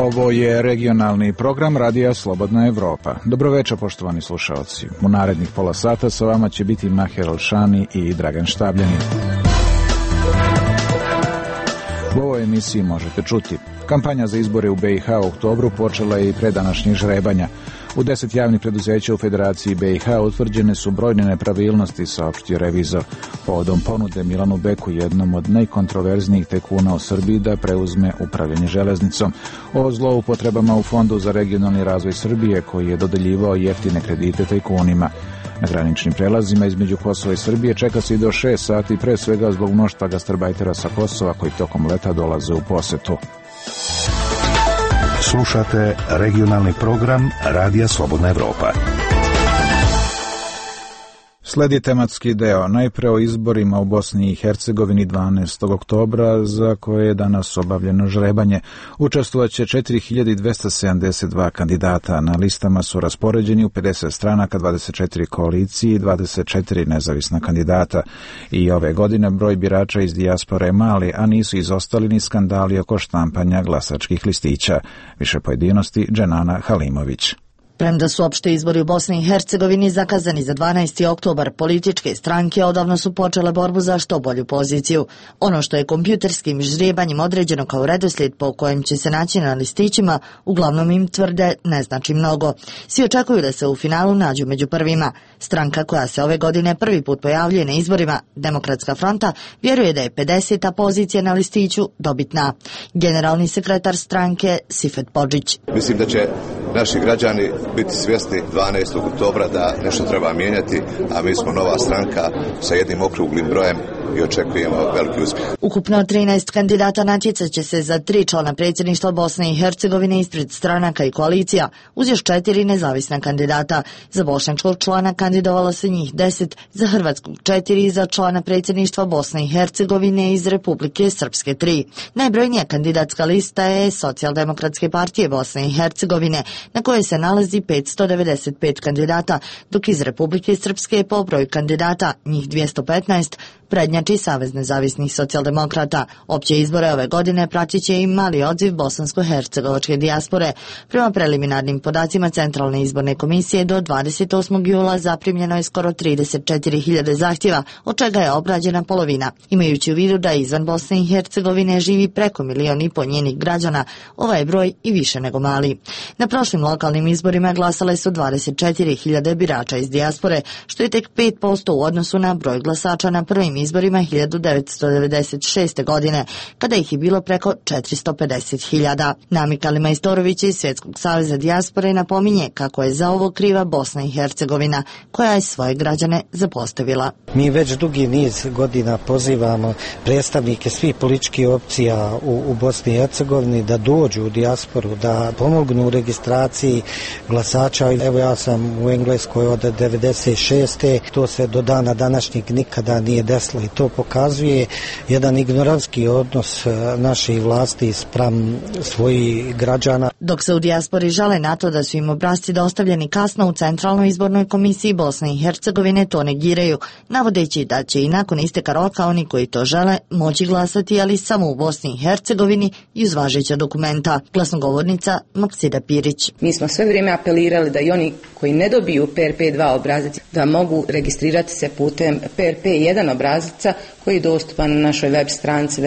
Ovo je regionalni program Radija Slobodna Evropa. Dobroveče, poštovani slušalci. U narednih pola sata sa vama će biti Maher Alšani i Dragan Štabljanin. U ovoj emisiji možete čuti: kampanja za izbore u BiH u oktobru počela je i pre današnjih žrebanja. U 10 javnih preduzeća u Federaciji BiH utvrđene su brojne nepravilnosti, saopštio revizor, povodom ponude Milanu Beku, jednom od najkontroverznijih tajkuna u Srbiji, da preuzme upravljanje železnicom. O zloupotrebama u Fondu za regionalni razvoj Srbije, koji je dodeljivao jeftine kredite tajkunima. Na graničnim prelazima između Kosova i Srbije čeka se i do 6 sati, pre svega zbog mnoštva gastarbajtera sa Kosova koji tokom leta dolaze u posetu. Slušate regionalni program Radija Slobodna Evropa. Sledi tematski deo, najpre o izborima u Bosni i Hercegovini 12. oktobra, za koje je danas obavljeno žrebanje. Učestvovaće 4272 kandidata. Na listama su raspoređeni u 50 stranaka, 24 koalicije i 24 nezavisna kandidata. I ove godine broj birača iz dijaspore je mali, a nisu izostali ni skandali oko štampanja glasačkih listića. Više pojedinosti Dženana Halimović. Premda su opšte izbori u Bosni i Hercegovini zakazani za 12. oktobar, političke stranke odavno su počele borbu za što bolju poziciju. Ono što je kompjuterskim žrebanjem određeno kao redoslijed po kojem će se naći na listićima, uglavnom im tvrde ne znači mnogo. Svi očekuju da se u finalu nađu među prvima. Stranka koja se ove godine prvi put pojavljuje na izborima, Demokratska fronta, vjeruje da je 50. pozicija na listiću dobitna. Generalni sekretar stranke Sifet Podžić. Mislim da će naši građani biti svjesni 12. oktobra da nešto treba mijenjati, a mi smo nova stranka sa jednim okruglim brojem i očekujemo veliki uspjeh. Ukupno 13 kandidata natjecat će se za 3 člana predsjedništva Bosne i Hercegovine ispred stranaka i koalicija, uz još 4 nezavisna kandidata. Za bošnjačkog člana kandidovalo se njih 10, za hrvatskog 4 i za člana predsjedništva Bosne i Hercegovine iz Republike Srpske 3. Najbrojnija kandidatska lista je Socijaldemokratske partije Bosne i Hercegovine, na kojoj se nalazi 595 kandidata, dok iz Republike Srpske po broju kandidata, njih 215, prednjači Savez nezavisnih socijaldemokrata. Opće izbore ove godine pratit će i mali odziv bosansko-hercegovačke dijaspore. Prema preliminarnim podacima Centralne izborne komisije do 28. jula zaprimljeno je skoro 34.000 zahtjeva, od čega je obrađena polovina. Imajući u vidu da izvan Bosne i Hercegovine živi preko 1,5 miliona njenih građana, ovaj broj i više nego mali. Na prošlim lokalnim izborima glasale su 24.000 birača iz dijaspore, što je tek 5% u odnosu na broj glasača na prvim izborima 1996. godine, kada ih je bilo preko 450.000. Namika Majstorović iz Svjetskog saveza dijaspore napominje kako je za ovo kriva Bosna i Hercegovina, koja je svoje građane zapostavila. Mi već dugi niz godina pozivamo predstavnike svih političkih opcija u Bosni i Hercegovini da dođu u dijasporu, da pomognu u registraciji glasača. Evo, ja sam u Engleskoj od 96. To se do dana današnjeg nikada nije desilo i to pokazuje jedan ignorantski odnos naših vlasti spram svojih građana. Dok se u dijaspori žale na to da su im obrasci dostavljeni kasno, u Centralnoj izbornoj komisiji Bosne i Hercegovine to negiraju, navodeći da će i nakon isteka roka oni koji to žele moći glasati, ali samo u Bosni i Hercegovini i uz važeća dokumenta. Glasnogovornica Maksida Pirić. Mi smo sve vrijeme apelirali da i oni koji ne dobiju PRP2 obrazac da mogu registrirati se putem PRP1 obrazaca koji je dostupan na našoj web stranici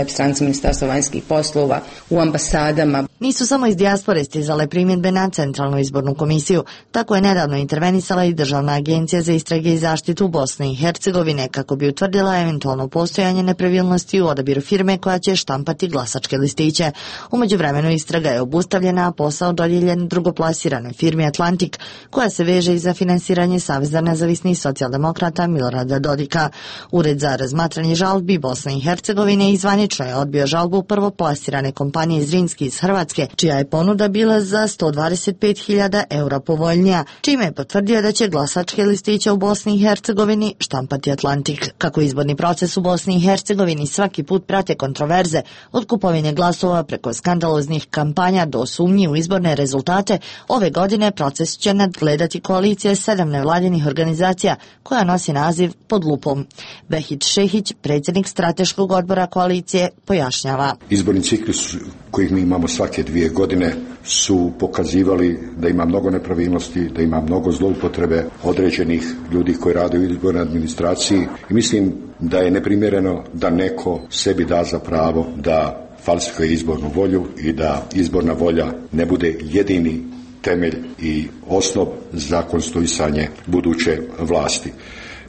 Ministarstva vanjskih poslova, u ambasadama. Nisu samo iz dijaspore stizale primjedbe na Centralnu izbornu komisiju. Tako je nedavno intervenisala i Državna agencija za istrage i zaštitu Bosne i Hercegovine kako bi utvrdila eventualno postojanje nepravilnosti u odabiru firme koja će štampati glasačke listiće. U međuvremenu istraga je obustavljena, a posao dodijeljen drugoplasiranoj firmi Atlantik, koja se veže i za finansiranje Saveza nezavisnih socijaldemokrata Milorada Dodika. Ured za razmatranje žalbi Bosne i Hercegovine izvanično je odbio žalbu prvoplasirane kompanije Zrinski iz Hrvatske, čija je ponuda bila za 125.000 eura povoljnija, čime je potvrdio da će glasačke listiće u Bosni i Hercegovini štampati Atlantik. Kako izborni proces u Bosni i Hercegovini svaki put prate kontroverze, od kupovine glasova preko skandaloznih kampanja do sumnji u izborne rezultate, ove godine proces će nadgledati koalicija 7 nevladinih organizacija koja nosi naziv Pod lupom. Behić Šehić, predsjednik strateškog odbora koalicije, pojašnjava. Izborni ciklus kojih mi imamo svake 2 godine su pokazivali da ima mnogo nepravilnosti, da ima mnogo zloupotrebe određenih ljudi koji rade u izbornoj administraciji i mislim da je neprimjereno da neko sebi da za pravo da falsifikuje izbornu volju i da izborna volja ne bude jedini temelj i osnov za konstituisanje buduće vlasti.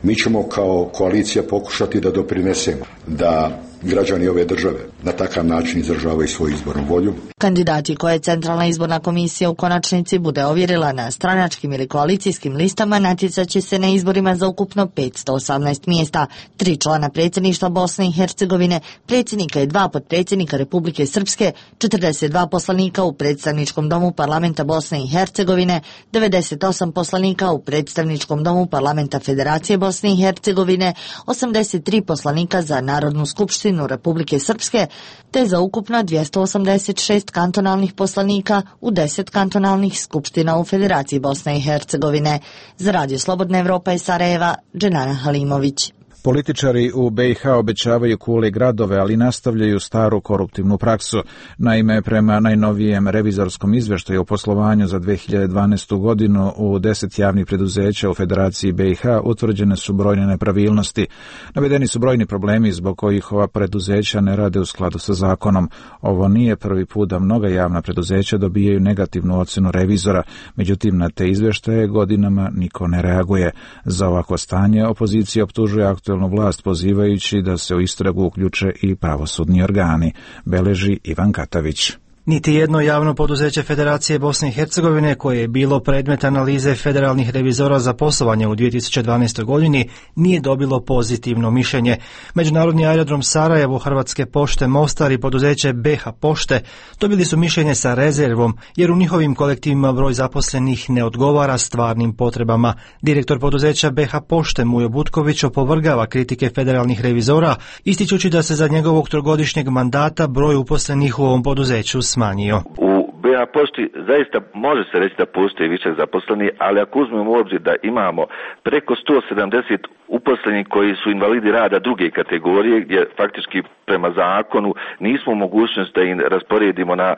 Mi ćemo kao koalicija pokušati da doprinesemo da građani ove države na takav način izražavaju svoju izbornu volju. Kandidati koje Centralna izborna komisija u konačnici bude ovjerila na stranačkim ili koalicijskim listama natjecat će se na izborima za ukupno 518 mjesta, 3 člana predsjedništva Bosne i Hercegovine, predsjednika i 2 potpredsjednika Republike Srpske, 42 poslanika u predstavničkom domu parlamenta Bosne i Hercegovine, 98 poslanika u predstavničkom domu parlamenta Federacije Bosne i Hercegovine, 83 poslanika za Narodnu skupštinu Republike Srpske, te za ukupno 286 kantonalnih poslanika u 10 kantonalnih skupština u Federaciji Bosne i Hercegovine. Za Radio Slobodna Evropa iz Sarajeva, Dženana Halimović. Političari u BiH obećavaju kule gradove, ali nastavljaju staru koruptivnu praksu. Naime, prema najnovijem revizorskom izveštaju o poslovanju za 2012. godinu u 10 javnih preduzeća u Federaciji BiH utvrđene su brojne nepravilnosti. Navedeni su brojni problemi zbog kojih ova preduzeća ne rade u skladu sa zakonom. Ovo nije prvi put da mnoga javna preduzeća dobijaju negativnu ocenu revizora, međutim na te izveštaje godinama niko ne reaguje. Za ovako stanje opozicija optužuje aktuelnu vlast pozivajući da se u istragu uključe i pravosudni organi, beleži Ivan Katavić. Niti jedno javno poduzeće Federacije Bosne i Hercegovine koje je bilo predmet analize federalnih revizora za poslovanje u 2012. godini nije dobilo pozitivno mišljenje. Međunarodni aerodrom Sarajevo, Hrvatske pošte Mostar i poduzeće BH Pošte dobili su mišljenje sa rezervom jer u njihovim kolektivima broj zaposlenih ne odgovara stvarnim potrebama. Direktor poduzeća BH Pošte Mujo Butković opovrgava kritike federalnih revizora, ističući da se za njegovog trogodišnjeg mandata broj uposlenih u ovom poduzeću smanjio. U BH Pošti zaista može se reći da postoji višak zaposlenih, ali ako uzmemo u obzir da imamo preko 170 uposlenih koji su invalidi rada druge kategorije, gdje faktički prema zakonu nismo u mogućnosti da im rasporedimo na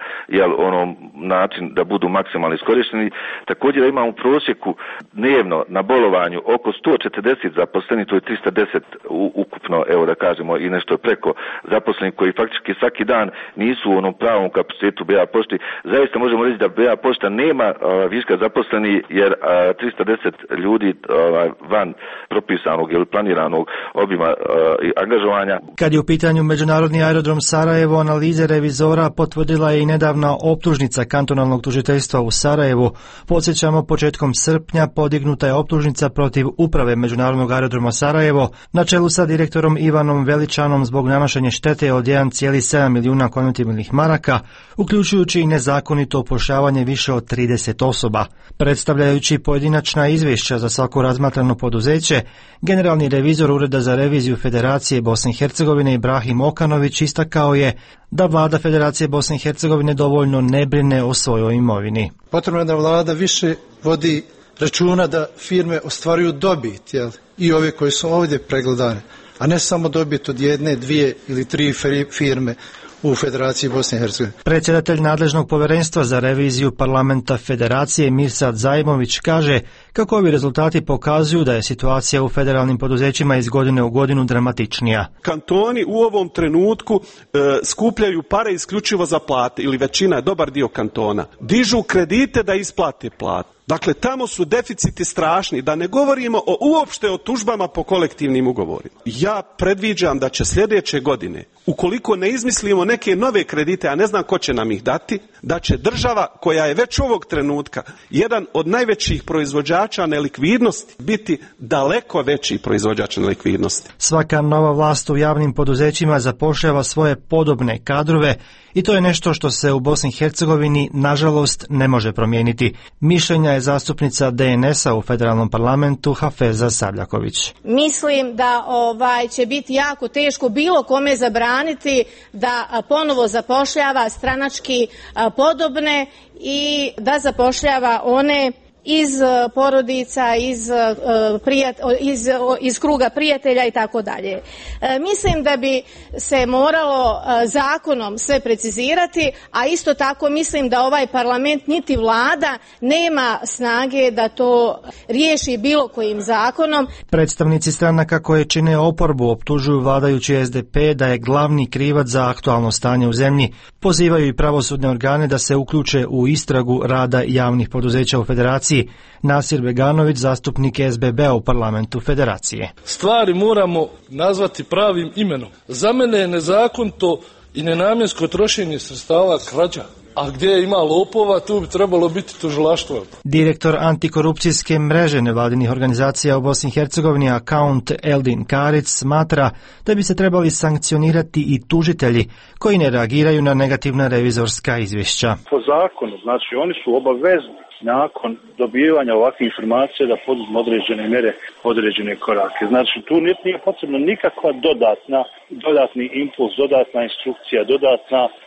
način da budu maksimalno iskorišteni. Također da imamo u prosjeku dnevno na bolovanju oko 140 zaposlenih, to je 310 ukupno, evo da kažemo i nešto preko zaposlenih koji faktički svaki dan nisu u onom pravom kapacitetu BH Pošti. Zaista možemo reći da BH Pošta nema viška zaposlenih jer 310 ljudi van propisanog ili planiranog obima angažovanja. Kad je u pitanju Međunarodni aerodrom Sarajevo, analize revizora potvrdila je i nedavna optužnica kantonalnog tužiteljstva u Sarajevu. Podsjećamo, početkom srpnja podignuta je optužnica protiv uprave Međunarodnog aerodroma Sarajevo na čelu sa direktorom Ivanom Veličanom zbog nanošenja štete od 1,7 milijuna konvertibilnih maraka, uključujući i nezakonito upošljavanje više od 30 osoba. Predstavljajući pojedinačna izvješća za svako razmatrano poduzeće, generalni revizor Ureda za reviziju Federacije Bosne i Hercegovine Ibrahim Okanović istakao je da vlada Federacije Bosne i Hercegovine dovoljno ne brine o svojoj imovini. Potrebno je da vlada više vodi računa da firme ostvaruju dobit, i ove koje su ovdje pregledane, a ne samo dobit od 1, 2 ili 3 firme u Federaciji Bosne i Hercegovine. Predsjedatelj nadležnog povjerenstva za reviziju parlamenta Federacije Mirsad Zajmović kaže kako ovi rezultati pokazuju da je situacija u federalnim poduzećima iz godine u godinu dramatičnija. Kantoni u ovom trenutku skupljaju pare isključivo za plate, ili većina, dobar dio kantona. Dižu kredite da isplate plate. Dakle, tamo su deficiti strašni, da ne govorimo uopšte o tužbama po kolektivnim ugovorima. Ja predviđam da će sljedeće godine, ukoliko ne izmislimo neke nove kredite, a ne znam ko će nam ih dati, da će država, koja je već ovog trenutka jedan od najvećih proizvođača nelikvidnosti, biti daleko veći proizvođač nelikvidnosti. Svaka nova vlast u javnim poduzećima zapošljava svoje podobne kadrove i to je nešto što se u Bosni i Hercegovini nažalost ne može promijeniti. Mišljenja je zastupnica DNS-a u federalnom parlamentu Hafeza Savljaković. Mislim da će biti jako teško bilo kome zabraniti da ponovo zapošljava stranački podobne i da zapošljava one iz porodica, iz kruga prijatelja i tako dalje. Mislim da bi se moralo zakonom sve precizirati, a isto tako mislim da ovaj parlament niti vlada nema snage da to riješi bilo kojim zakonom. Predstavnici stranaka koje čine oporbu optužuju vladajući SDP da je glavni krivac za aktualno stanje u zemlji. Pozivaju i pravosudne organe da se uključe u istragu rada javnih poduzeća u Federaciji. Nasir Beganović, zastupnik SBB u parlamentu Federacije. Stvari moramo nazvati pravim imenom. Za mene je nezakonito i nenamjensko trošenje sredstava krađa. A gdje ima lopova, tu bi trebalo biti tužilaštvo. Direktor antikorupcijske mreže nevladinih organizacija u Bosni i Hercegovini, Account Eldin Karic, smatra da bi se trebali sankcionirati i tužitelji koji ne reagiraju na negativna revizorska izvješća. Po zakonu, znači oni su obavezni nakon dobivanja ovakvih informacija da poduzmu određene mjere, određene korake. Znači tu nije potrebno nikakva dodatni impuls, dodatna instrukcija,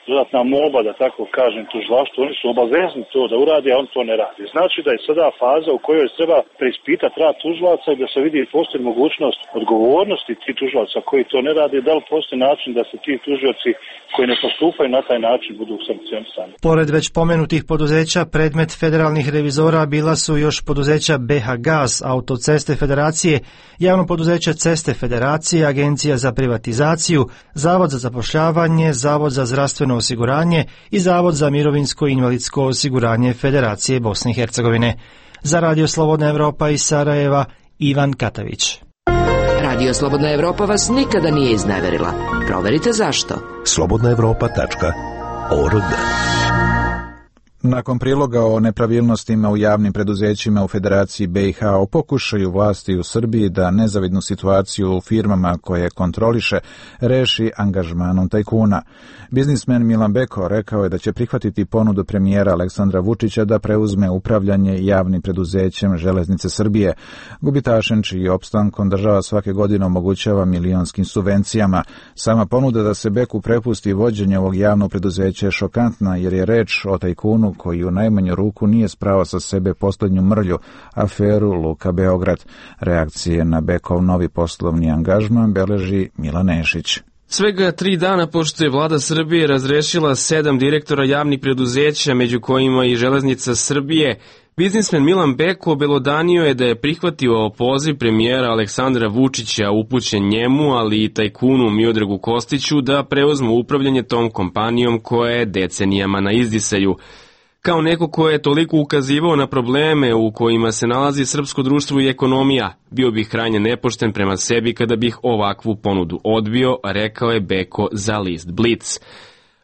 dodatna molba, da tako kažem, tužilaštvu. Oni su obavezni to da urade, a on to ne radi. Znači da je sada faza u kojoj treba preispitati rad tužilaca i da se vidi postoji mogućnost odgovornosti tih tužilaca koji to ne rade, da li postoji način da se ti tužioci koji ne postupaju na taj način budu sankcionisani. Pored već pomenutih poduzeća, predmet federalnih revizora bila su još poduzeća BH Gas, Autoceste Federacije, Javno poduzeće Ceste Federacije, Agencija za privatizaciju, Zavod za zapošljavanje, Zavod za zdravstveno osiguranje i Zavod za mirovinsko i invalidsko osiguranje Federacije Bosne i Hercegovine. Za Radio Slobodna Evropa iz Sarajeva, Ivan Katavić. Radio Slobodna Evropa vas nikada nije izneverila. Proverite zašto. slobodnaevropa.org. Nakon priloga o nepravilnostima u javnim preduzećima u Federaciji BiH o pokušaju vlasti u Srbiji da nezavidnu situaciju u firmama koje kontroliše reši angažmanom tajkuna. Biznismen Milan Beko rekao je da će prihvatiti ponudu premijera Aleksandra Vučića da preuzme upravljanje javnim preduzećem Železnice Srbije, gubitašem čiji opstankom država svake godine omogućava milionskim subvencijama. Sama ponuda da se Beku prepusti vođenje ovog javnog preduzeća je šokantna jer je reč o tajkunu koji u najmanju ruku nije sprao sa sebe posljednju mrlju, aferu Luka Beograd. Reakcije na Bekov novi poslovni angažman beleži Milan Nešić. Svega 3 dana pošto je vlada Srbije razrešila 7 direktora javnih preduzeća, među kojima i Železnica Srbije, biznismen Milan Beko obelodanio je da je prihvatio poziv premijera Aleksandra Vučića upućen njemu, ali i tajkunu Miodragu Kostiću da preuzmu upravljanje tom kompanijom koja je decenijama na izdisaju. Kao neko ko je toliko ukazivao na probleme u kojima se nalazi srpsko društvo i ekonomija, bio bih krajnje nepošten prema sebi kada bih ovakvu ponudu odbio, rekao je Beko za list Blitz.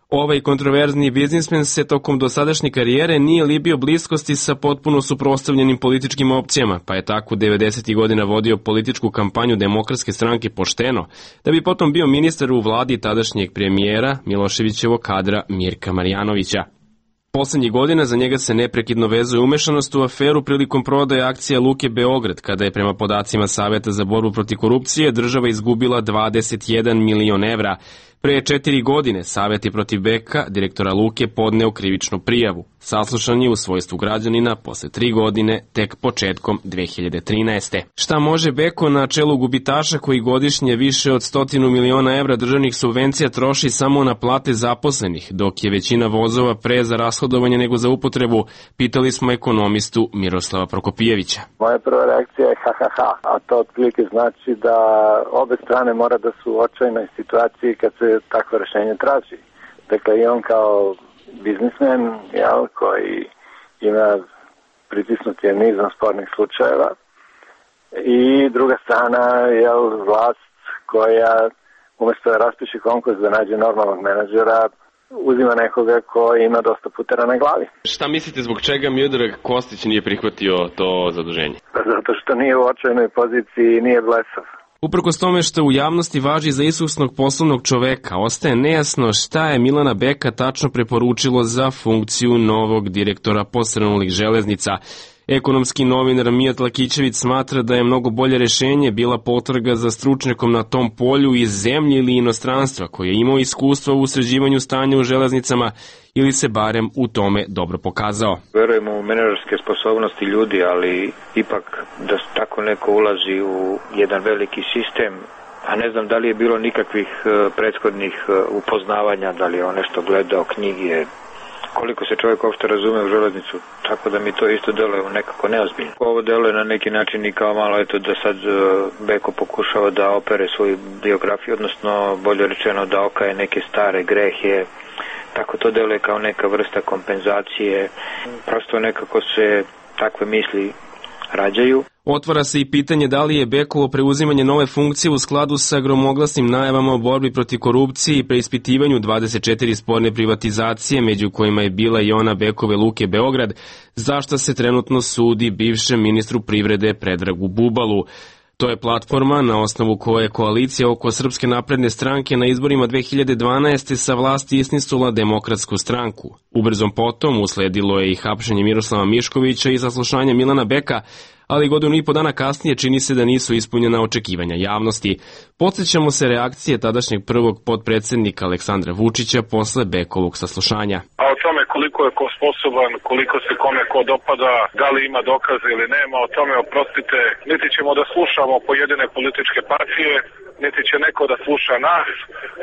Ovaj kontroverzni biznismen se tokom dosadašnje karijere nije libio bliskosti sa potpuno suprotstavljenim političkim opcijama, pa je tako 90. godina vodio političku kampanju Demokratske stranke pošteno, da bi potom bio ministar u vladi tadašnjeg premijera Miloševićevog kadra Mirka Marjanovića. Poslednjih godina za njega se neprekidno vezuje umešanost u aferu prilikom prodaje akcija Luke Beograd, kada je prema podacima Saveta za borbu protiv korupcije država izgubila 21 milion evra. Pre 4 godine Savet je protiv Beka, direktora Luke, podneo krivičnu prijavu. Saslušan je u svojstvu građanina posle 3 godine, tek početkom 2013. Šta može Beko na čelu gubitaša koji godišnje više od 100 miliona evra državnih subvencija troši samo na plate zaposlenih, dok je većina vozova pre za rashodovanje nego za upotrebu, pitali smo ekonomistu Miroslava Prokopijevića. Moja prva reakcija je a to otprilike znači da obe strane mora da su u očajnoj situaciji kad se takvo rešenje traži. Dakle, i on kao biznismen, koji ima pritisnut je nizom spornih slučajeva, i druga strana je vlast koja umjesto da raspiše konkurs da nađe normalnog menadžera, uzima nekoga ko ima dosta putera na glavi. Šta mislite zbog čega Miodrag Kostić nije prihvatio to zaduženje? Zato što nije u očajnoj poziciji i nije blesav. Uprkos tome što u javnosti važi za iskusnog poslovnog čoveka, ostaje nejasno šta je Milana Beka tačno preporučilo za funkciju novog direktora posrnulih železnica. Ekonomski novinar Mijat Lakićević smatra da je mnogo bolje rešenje bila potraga za stručnjakom na tom polju iz zemlje ili inostranstva koji je imao iskustva u sređivanju stanja u železnicama ili se barem u tome dobro pokazao. Verujemo u menadžerske sposobnosti ljudi, ali ipak da tako neko ulazi u jedan veliki sistem, a ne znam da li je bilo nikakvih prethodnih upoznavanja, da li je on nešto gledao, knjige, koliko se čovjek uopšte razume u železnicu, tako da mi to isto deluje nekako neozbiljno. Ovo deluje na neki način i kao malo eto da sad Beko pokušava da opere svoju biografiju, odnosno bolje rečeno da okaje neke stare grehe, tako to deluje kao neka vrsta kompenzacije, prosto nekako se takve misli rađaju. Otvara se i pitanje da li je Bekovo preuzimanje nove funkcije u skladu sa gromoglasnim najavama o borbi protiv korupcije i preispitivanju 24 sporne privatizacije, među kojima je bila i ona Bekove Luke Beograd, zašto se trenutno sudi bivšem ministru privrede Predragu Bubalu. To je platforma na osnovu koje je koalicija oko Srpske napredne stranke na izborima 2012. sa vlasti istisnula Demokratsku stranku. Ubrzom potom usledilo je i hapšenje Miroslava Miškovića i saslušanje Milana Beka, ali godinu i po dana kasnije čini se da nisu ispunjena očekivanja javnosti. Podsjećamo se reakcije tadašnjeg prvog potpredsednika Aleksandra Vučića posle Bekovog saslušanja. A o tome koliko je ko sposoban, koliko se kome ko dopada, da li ima dokaze ili nema, o tome oprostite, niti ćemo da slušamo pojedine političke partije, niti će neko da sluša nas,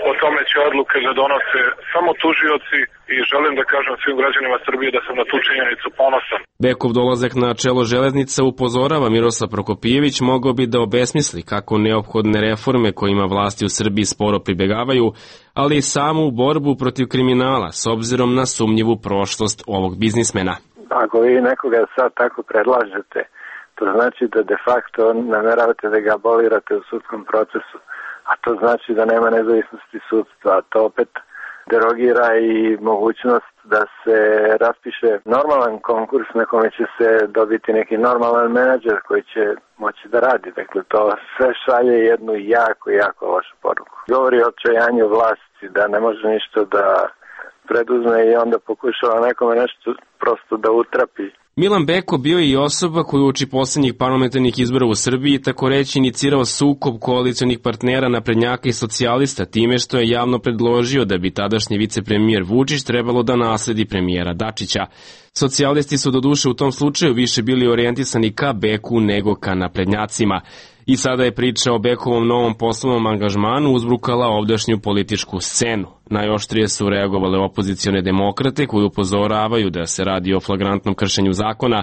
o tome će odluke da donose samo tužioci i želim da kažem svim građanima Srbije da sam na tu činjenicu ponosan. Bekov dolazak na čelo železnica, upozorava Miroslav Prokopijević, mogao bi da obesmisli kako neophodne reforme kojima vlasti u Srbiji sporo pribegavaju, ali i samu borbu protiv kriminala s obzirom na sumnjivu prošlost ovog biznismena. Ako vi nekoga sad tako predlažete, to znači da de facto nameravate da ga abolirate u sudskom procesu, a to znači da nema nezavisnosti sudstva, a to opet derogira i mogućnost da se raspiše normalan konkurs na kome će se dobiti neki normalan menadžer koji će moći da radi. Dakle, to sve šalje jednu jako lošu poruku. Govori o odčajanju vlasti, da ne može ništa da preduzme i onda pokušava nekome nešto prosto da utrapi. Milan Beko bio je i osoba koju uoči poslednjih parlamentarnih izbora u Srbiji tako reći inicirao sukob koalicionih partnera naprednjaka i socijalista time što je javno predložio da bi tadašnji vicepremijer Vučić trebalo da nasledi premijera Dačića. Socijalisti su doduše u tom slučaju više bili orijentisani ka Beku nego ka naprednjacima. I sada je priča o Bekovom novom poslovnom angažmanu uzbrukala ovdašnju političku scenu. Najoštrije su reagovale opozicione demokrate koji upozoravaju da se radi o flagrantnom kršenju zakona.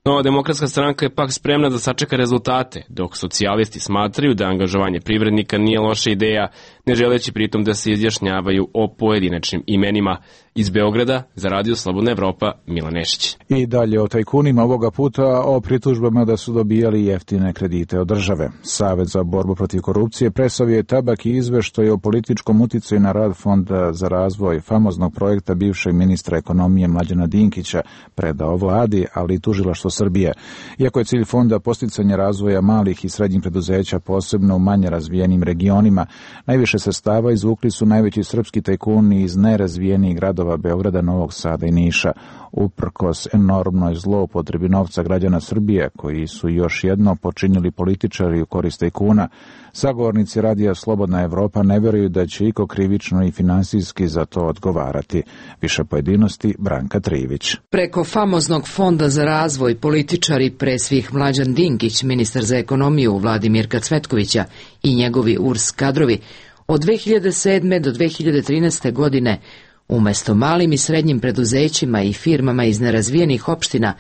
Nova demokratska stranka je pak spremna da sačeka rezultate, dok socijalisti smatraju da angažovanje privrednika nije loša ideja, ne želeći pritom da se izjašnjavaju o pojedinačnim imenima. Iz Beograda za Radio Slobodna Evropa, Milan Nešić. I dalje o tajkunima, ovoga puta o pritužbama da su dobijali jeftine kredite od države. Savet za borbu protiv korupcije presavio je tabak i izveštaj o političkom uticaju na rad Fonda za razvoj famoznog projekta bivšeg ministra ekonomije Mlađana Dinkića predao vladi, ali i tužilaštvo Srbije. Iako je cilj fonda posticanje razvoja malih i srednjih preduzeća, posebno u manje razvijenim regionima, najviše sredstava izvukli su najveći srpski tajkuni iz nerazvijenih gradova Beograda, Novog Sada i Niša. Uprkos enormnoj zloupotrebi novca građana Srbije, koji su još jedno počinili političari u korist tajkuna, sagovornici Radija Slobodna Evropa ne veruju da će iko krivično i finansijski za to odgovarati. Više pojedinosti Branka Trivić. Preko famoznog Fonda za razvoj političari, pre svih Mlađan Dinkić, ministar za ekonomiju u vladi Mirka Cvetkovića i njegovi URS kadrovi, od 2007. do 2013. godine umesto malim i srednjim preduzećima i firmama iz nerazvijenih opština,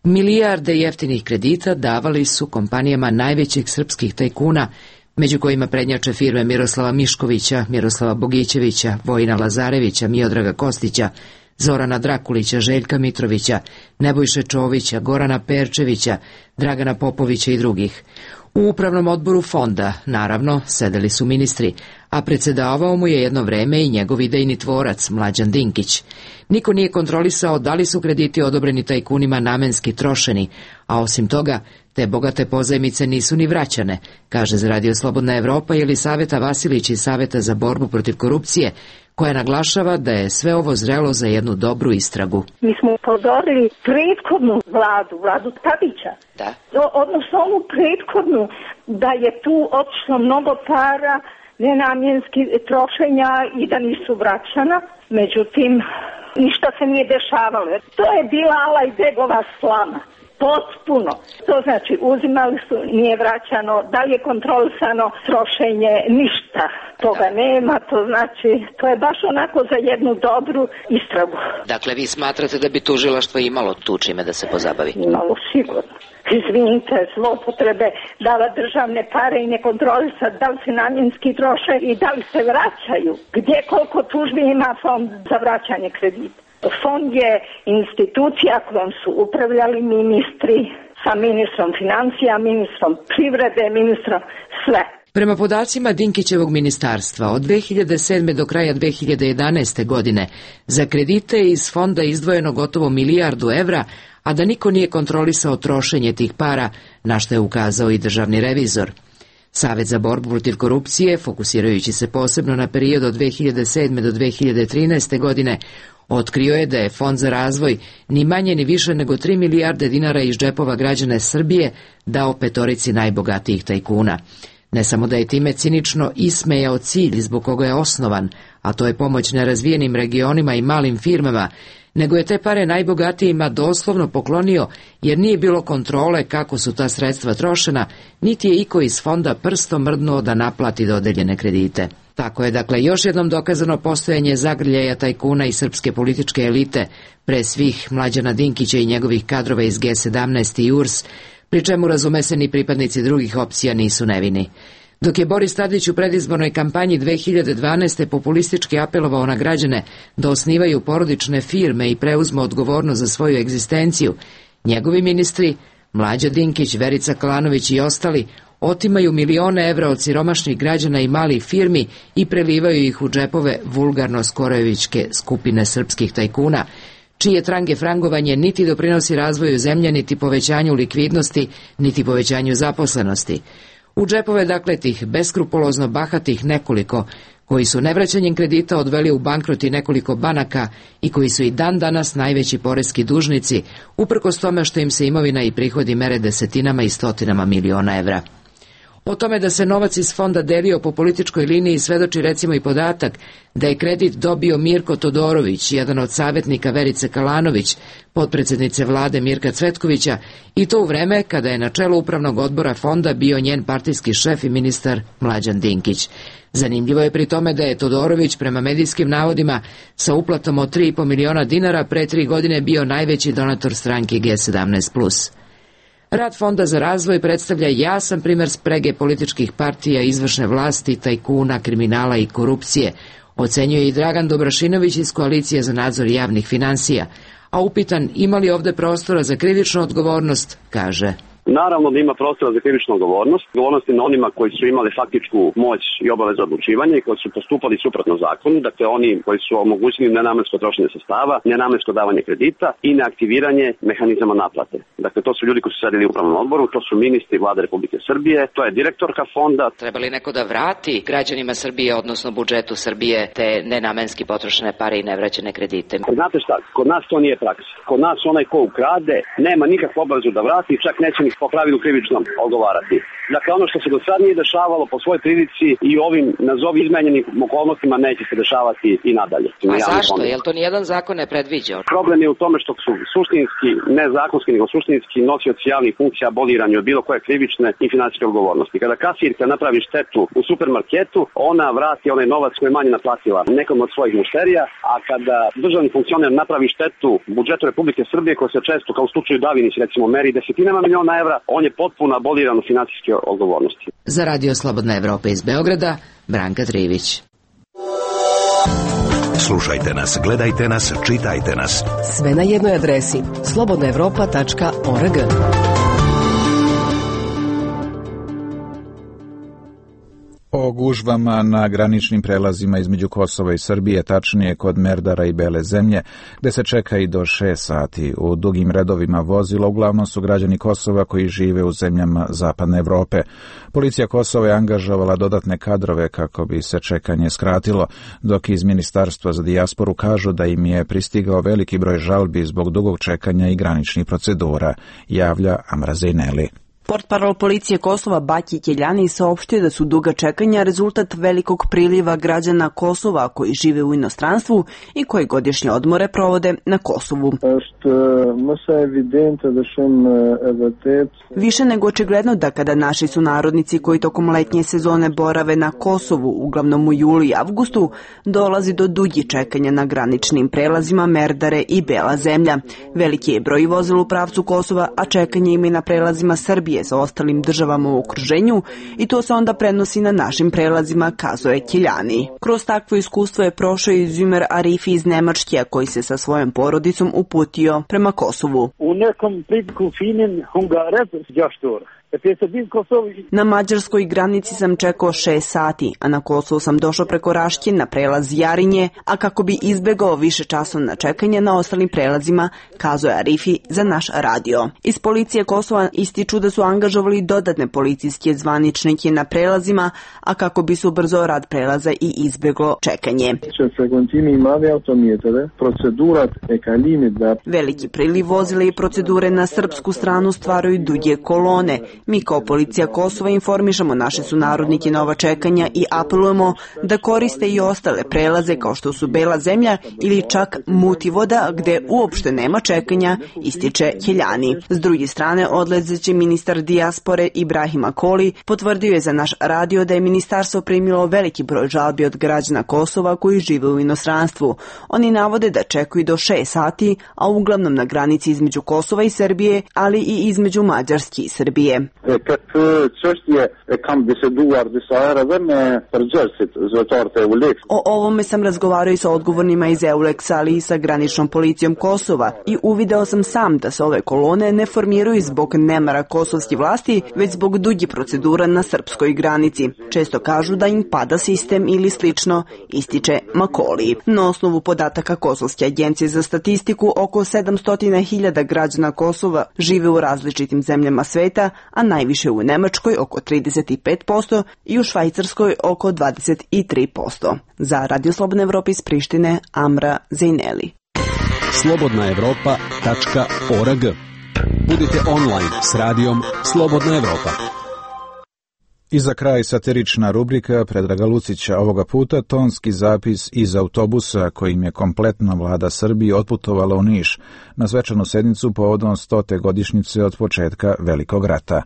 milijarde jeftinih kredita davali su kompanijama najvećih srpskih tajkuna, među kojima prednjače firme Miroslava Miškovića, Miroslava Bogićevića, Vojina Lazarevića, Miodraga Kostića, Zorana Drakulića, Željka Mitrovića, Nebojše Čovića, Gorana Perčevića, Dragana Popovića i drugih. U upravnom odboru fonda, naravno, sedeli su ministri, a predsedavao mu je jedno vreme i njegov idejni tvorac, Mlađan Dinkić. Niko nije kontrolisao da li su krediti odobreni tajkunima namenski trošeni, a osim toga, te bogate pozajmice nisu ni vraćane, kaže za Radio Slobodna Evropa Jelisaveta Vasilić iz Saveta za borbu protiv korupcije, koja naglašava da je sve ovo zrelo za jednu dobru istragu. Mi smo upozorili prethodnu vladu Tadića, odnosno onu prethodnu, da je tu otišlo mnogo para, nenamjenski trošenja i da nisu vraćana, međutim ništa se nije dešavalo. To je bila Alajbegova slama. Potpuno. To znači uzimali su, nije vraćano, da li je kontrolisano trošenje, ništa. Toga nema, to znači, to je baš onako za jednu dobru istragu. Dakle, vi smatrate da bi tužilaštvo imalo tu čime da se pozabavi? Imalo, sigurno. Izvinite, zloupotrebe, dava državne pare i ne kontrolisa da li se namjenski troše i da li se vraćaju. Gdje koliko tužbi ima fond za vraćanje kredita? Fond je institucija kojom su upravljali ministri, sa ministrom financija, ministrom privrede, ministrom sve. Prema podacima Dinkićevog ministarstva, od 2007. do kraja 2011. godine za kredite iz fonda izdvojeno gotovo milijardu evra, a da niko nije kontrolisao trošenje tih para, na što je ukazao i državni revizor. Savet za borbu protiv korupcije, fokusirajući se posebno na period od 2007. do 2013. godine, otkrio je da je Fond za razvoj ni manje ni više nego 3 milijarde dinara iz džepova građana Srbije dao petorici najbogatijih tajkuna. Ne samo da je time cinično ismejao cilj zbog koga je osnovan, a to je pomoć nerazvijenim regionima i malim firmama, nego je te pare najbogatijima doslovno poklonio jer nije bilo kontrole kako su ta sredstva trošena, niti je iko iz fonda prstom mrdnuo da naplati dodeljene kredite. Tako je dakle još jednom dokazano postojanje zagrljaja tajkuna i srpske političke elite, pre svih Mlađana Dinkića i njegovih kadrova iz G17 i URS, pri čemu razume se ni pripadnici drugih opcija nisu nevini. Dok je Boris Tadić u predizbornoj kampanji 2012. populistički apelovao na građane da osnivaju porodične firme i preuzmu odgovornost za svoju egzistenciju, njegovi ministri, Mlađa Dinkić, Verica Kalanović i ostali, otimaju milione evra od siromašnih građana i malih firmi i prelivaju ih u džepove vulgarno-skorojevićke skupine srpskih tajkuna, čije trange frangovanje niti doprinosi razvoju zemlje, niti povećanju likvidnosti, niti povećanju zaposlenosti. U džepove, dakle, tih beskrupulozno bahatih nekoliko, koji su nevraćanjem kredita odveli u bankrot i nekoliko banaka i koji su i dan danas najveći poreski dužnici, uprkos tome što im se imovina i prihodi mere desetinama i stotinama miliona evra. O tome da se novac iz fonda delio po političkoj liniji svedoči recimo i podatak da je kredit dobio Mirko Todorović, jedan od savjetnika Verice Kalanović, potpredsjednice vlade Mirka Cvetkovića, i to u vreme kada je na čelu upravnog odbora fonda bio njen partijski šef i ministar Mlađan Dinkić. Zanimljivo je pri tome da je Todorović prema medijskim navodima sa uplatom od 3,5 miliona dinara pre 3 godine bio najveći donator stranke G17+. Rad Fonda za razvoj predstavlja jasan primer sprege političkih partija, izvršne vlasti, tajkuna, kriminala i korupcije, ocenjuje i Dragan Dobrašinović iz Koalicije za nadzor javnih finansija, a upitan ima li ovde prostora za krivičnu odgovornost, kaže: Naravno da ima prostora za krivičnu odgovornost. Odgovornost je na onima koji su imali faktičku moć i obavezu odlučivanja i koji su postupali suprotno zakonu, dakle oni koji su omogućili nenamensko trošenje sredstava, nenamensko davanje kredita i neaktiviranje mehanizama naplate. Dakle, to su ljudi koji su sedeli u upravnom odboru, to su ministri vlade Republike Srbije, to je direktorka fonda. Treba li neko da vrati građanima Srbije, odnosno budžetu Srbije, te nenamenski potrošene pare i nevraćene kredite? Znate šta, kod nas to nije praksa. Kod nas onaj ko ukrade nema nikakvu obavezu da vrati, čak neće ni po pravilu krivično odgovarati. Dakle, ono što se do sad nije dešavalo po svojoj prilici i ovim nazovi izmenjenim okolnostima neće se dešavati i nadalje. A zašto? Jel to nijedan zakon ne predviđao? Problem je u tome što su suštinski, ne zakonski, nego suštinski nosioci javnih funkcija abolirani od bilo koje krivične i finansijske odgovornosti. Kada kasirka napravi štetu u supermarketu, ona vrati onaj novac koji je manje naplatila nekom od svojih mušterija, a kada državni funkcioner napravi štetu budžetu Republike Srbije, koja se često, kao u slučaju Davinić, recimo, meri desetinama miliona evra, on je potpuno aboliran od finansijske odgovornosti. Za Radio Slobodna Evropa iz Beograda, Branka Trivić. Slušajte nas, gledajte nas, čitajte nas. Sve na jednoj adresi slobodnaevropa.org. O gužvama na graničnim prelazima između Kosova i Srbije, tačnije kod Merdara i Bele zemlje, gde se čeka i do 6 sati. U dugim redovima vozila uglavnom su građani Kosova koji žive u zemljama Zapadne Evrope. Policija Kosova je angažovala dodatne kadrove kako bi se čekanje skratilo, dok iz Ministarstva za dijasporu kažu da im je pristigao veliki broj žalbi zbog dugog čekanja i graničnih procedura, javlja Amra Zejneli. Portparol policije Kosova Baki Keljani saopštio da su duga čekanja rezultat velikog priliva građana Kosova koji žive u inostranstvu i koji godišnje odmore provode na Kosovu. Više nego očigledno da kada naši sunarodnici koji tokom letnje sezone borave na Kosovu, uglavnom u julu i avgustu, dolazi do dugi čekanja na graničnim prelazima Merdare i Bela zemlja. Veliki je broj vozila u pravcu Kosova, a čekanje im je na prelazima Srbije sa ostalim državama u okruženju i to se onda prenosi na našim prelazima, kazuje Keljani. Kroz takvo iskustvo je prošao i Zümer Arifi iz Nemačke, koji se sa svojom porodicom uputio prema Kosovu. Na mađarskoj granici sam čekao 6 sati, a na Kosovu sam došao preko Raške na prelaz Jarinje, a kako bi izbegao više časovna čekanja na ostalim prelazima, kazuje Arifi za naš radio. Iz policije Kosova ističu da su angažovali dodatne policijske zvaničnike na prelazima, a kako bi se ubrzao rad prelaza i izbeglo čekanje. Veliki priliv vozila i procedure na srpsku stranu stvaraju duge kolone. Mi kao policija Kosova informišemo naše sunarodnike na ova čekanja i apelujemo da koriste i ostale prelaze kao što su Bela zemlja ili čak Mutivoda gde uopšte nema čekanja, ističe Keljani. S druge strane, odlazeći ministar dijaspore Ibrahim Akoli potvrdio je za naš radio da je ministarstvo primilo veliki broj žalbi od građana Kosova koji žive u inostranstvu. Oni navode da čekaju do 6 sati, a uglavnom na granici između Kosova i Srbije, ali i između Mađarske i Srbije. O ovome sam razgovarao i sa odgovornima iz EULEX-a, ali i sa graničnom policijom Kosova i uvideo sam sam da se ove kolone ne formiraju zbog nemara kosovske vlasti, već zbog dugi procedura na srpskoj granici. Često kažu da im pada sistem ili slično, ističe Makoli. Na osnovu podataka Kosovske agencije za statistiku, oko 700.000 građana Kosova žive u različitim zemljama sveta, a najviše u Nemačkoj oko 35% i u Švajcarskoj oko 23%. Za Radio Slobodna Evropa iz Prištine, Amra Zejneli. slobodnaevropa.org. Budite online s radijom Slobodna Evropa. I za kraj satirična rubrika Predraga Lucića, ovoga puta tonski zapis iz autobusa kojim je kompletna vlada Srbije otputovala u Niš na svečanu sednicu povodom 100. godišnjice od početka Velikog rata.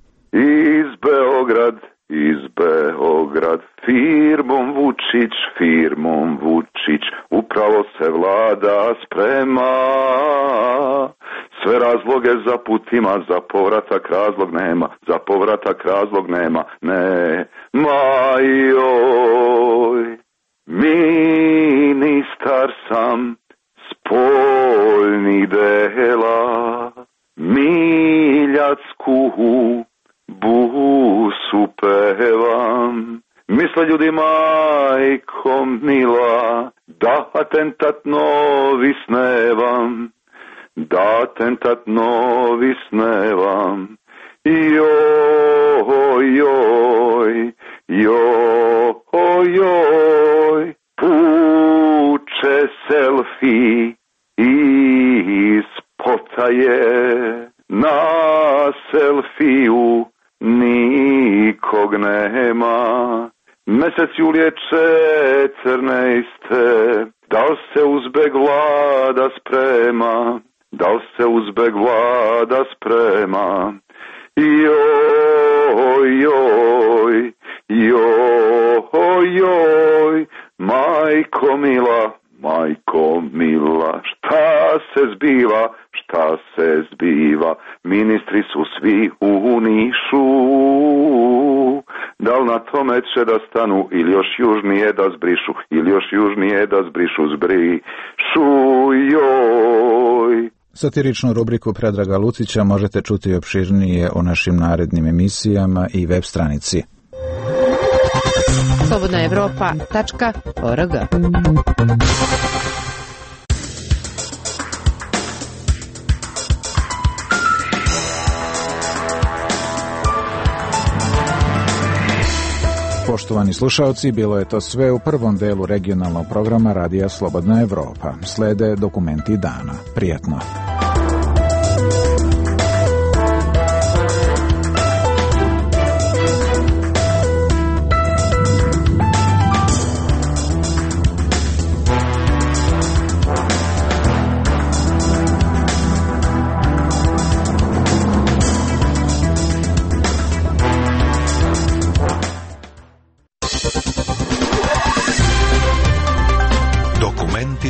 Iz Beograd, firmom Vučić, upravo se vlada sprema. Sve razloge za putima, za povratak razlog nema, joj. Ministar sam spoljnih dela, Miljacku busu pevam. Misle ljudi, majko mila, da atentat novi snevam, joj, puče selfie iz potaje, na selfiju nikog nema. Mesec julije 14. Da li se uzbeg vlada sprema? Joj, majko mila, šta se zbiva? Ministri su svi u Nišu, da li na tome će da stanu ili još južnije da zbrišu, joj. Satiričnu rubriku Predraga Lucića možete čuti opširnije o našim narednim emisijama i web stranici. slobodnaevropa.org. Poštovani slušalci, bilo je to sve u prvom delu regionalnog programa Radija Slobodna Evropa. Slede dokumenti dana. Prijatno.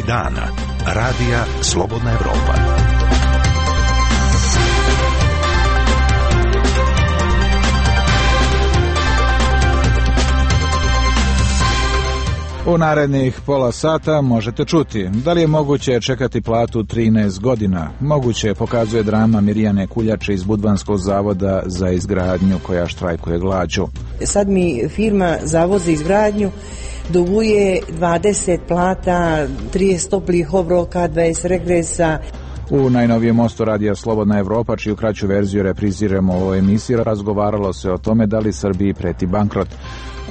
Dana. Radija Slobodna Evropa. U narednih pola sata možete čuti da li je moguće čekati platu 13 godina. Moguće pokazuje drama Mirjane Kuljače iz Budvanskog zavoda za izgradnju koja štrajkuje glađu. Sad mi firma Zavod za izgradnju duguje 20 plata, 30 toplih obroka, 20 regresa. U najnovijem mostu Radija Slobodna Evropa, čiju kraću verziju repriziramo u ovoj emisiji, razgovaralo se o tome da li Srbiji preti bankrot.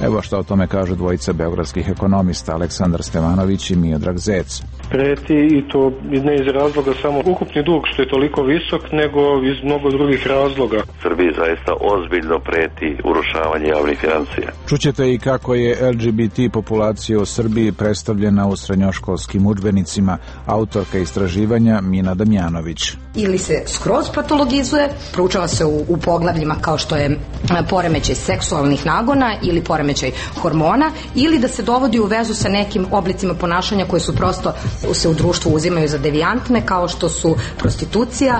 Evo što o tome kažu dvojica beogradskih ekonomista, Aleksandar Stevanović i Miodrag Zec. Preti, i to ne iz razloga samo ukupni dug što je toliko visok, nego iz mnogo drugih razloga. Srbiji zaista ozbiljno preti urušavanje javnih financija. Čućete i kako je LGBT populacija u Srbiji predstavljena u srednjoškolskim udžbenicima, autorka istraživanja Mina Damjanović. Ili se skroz patologizuje, proučava se u poglavljima kao što je poremećaj seksualnih nagona ili poremećaj hormona, ili da se dovodi u vezu sa nekim oblicima ponašanja koje su prosto se u društvu uzimaju za devijantne, kao što su prostitucija,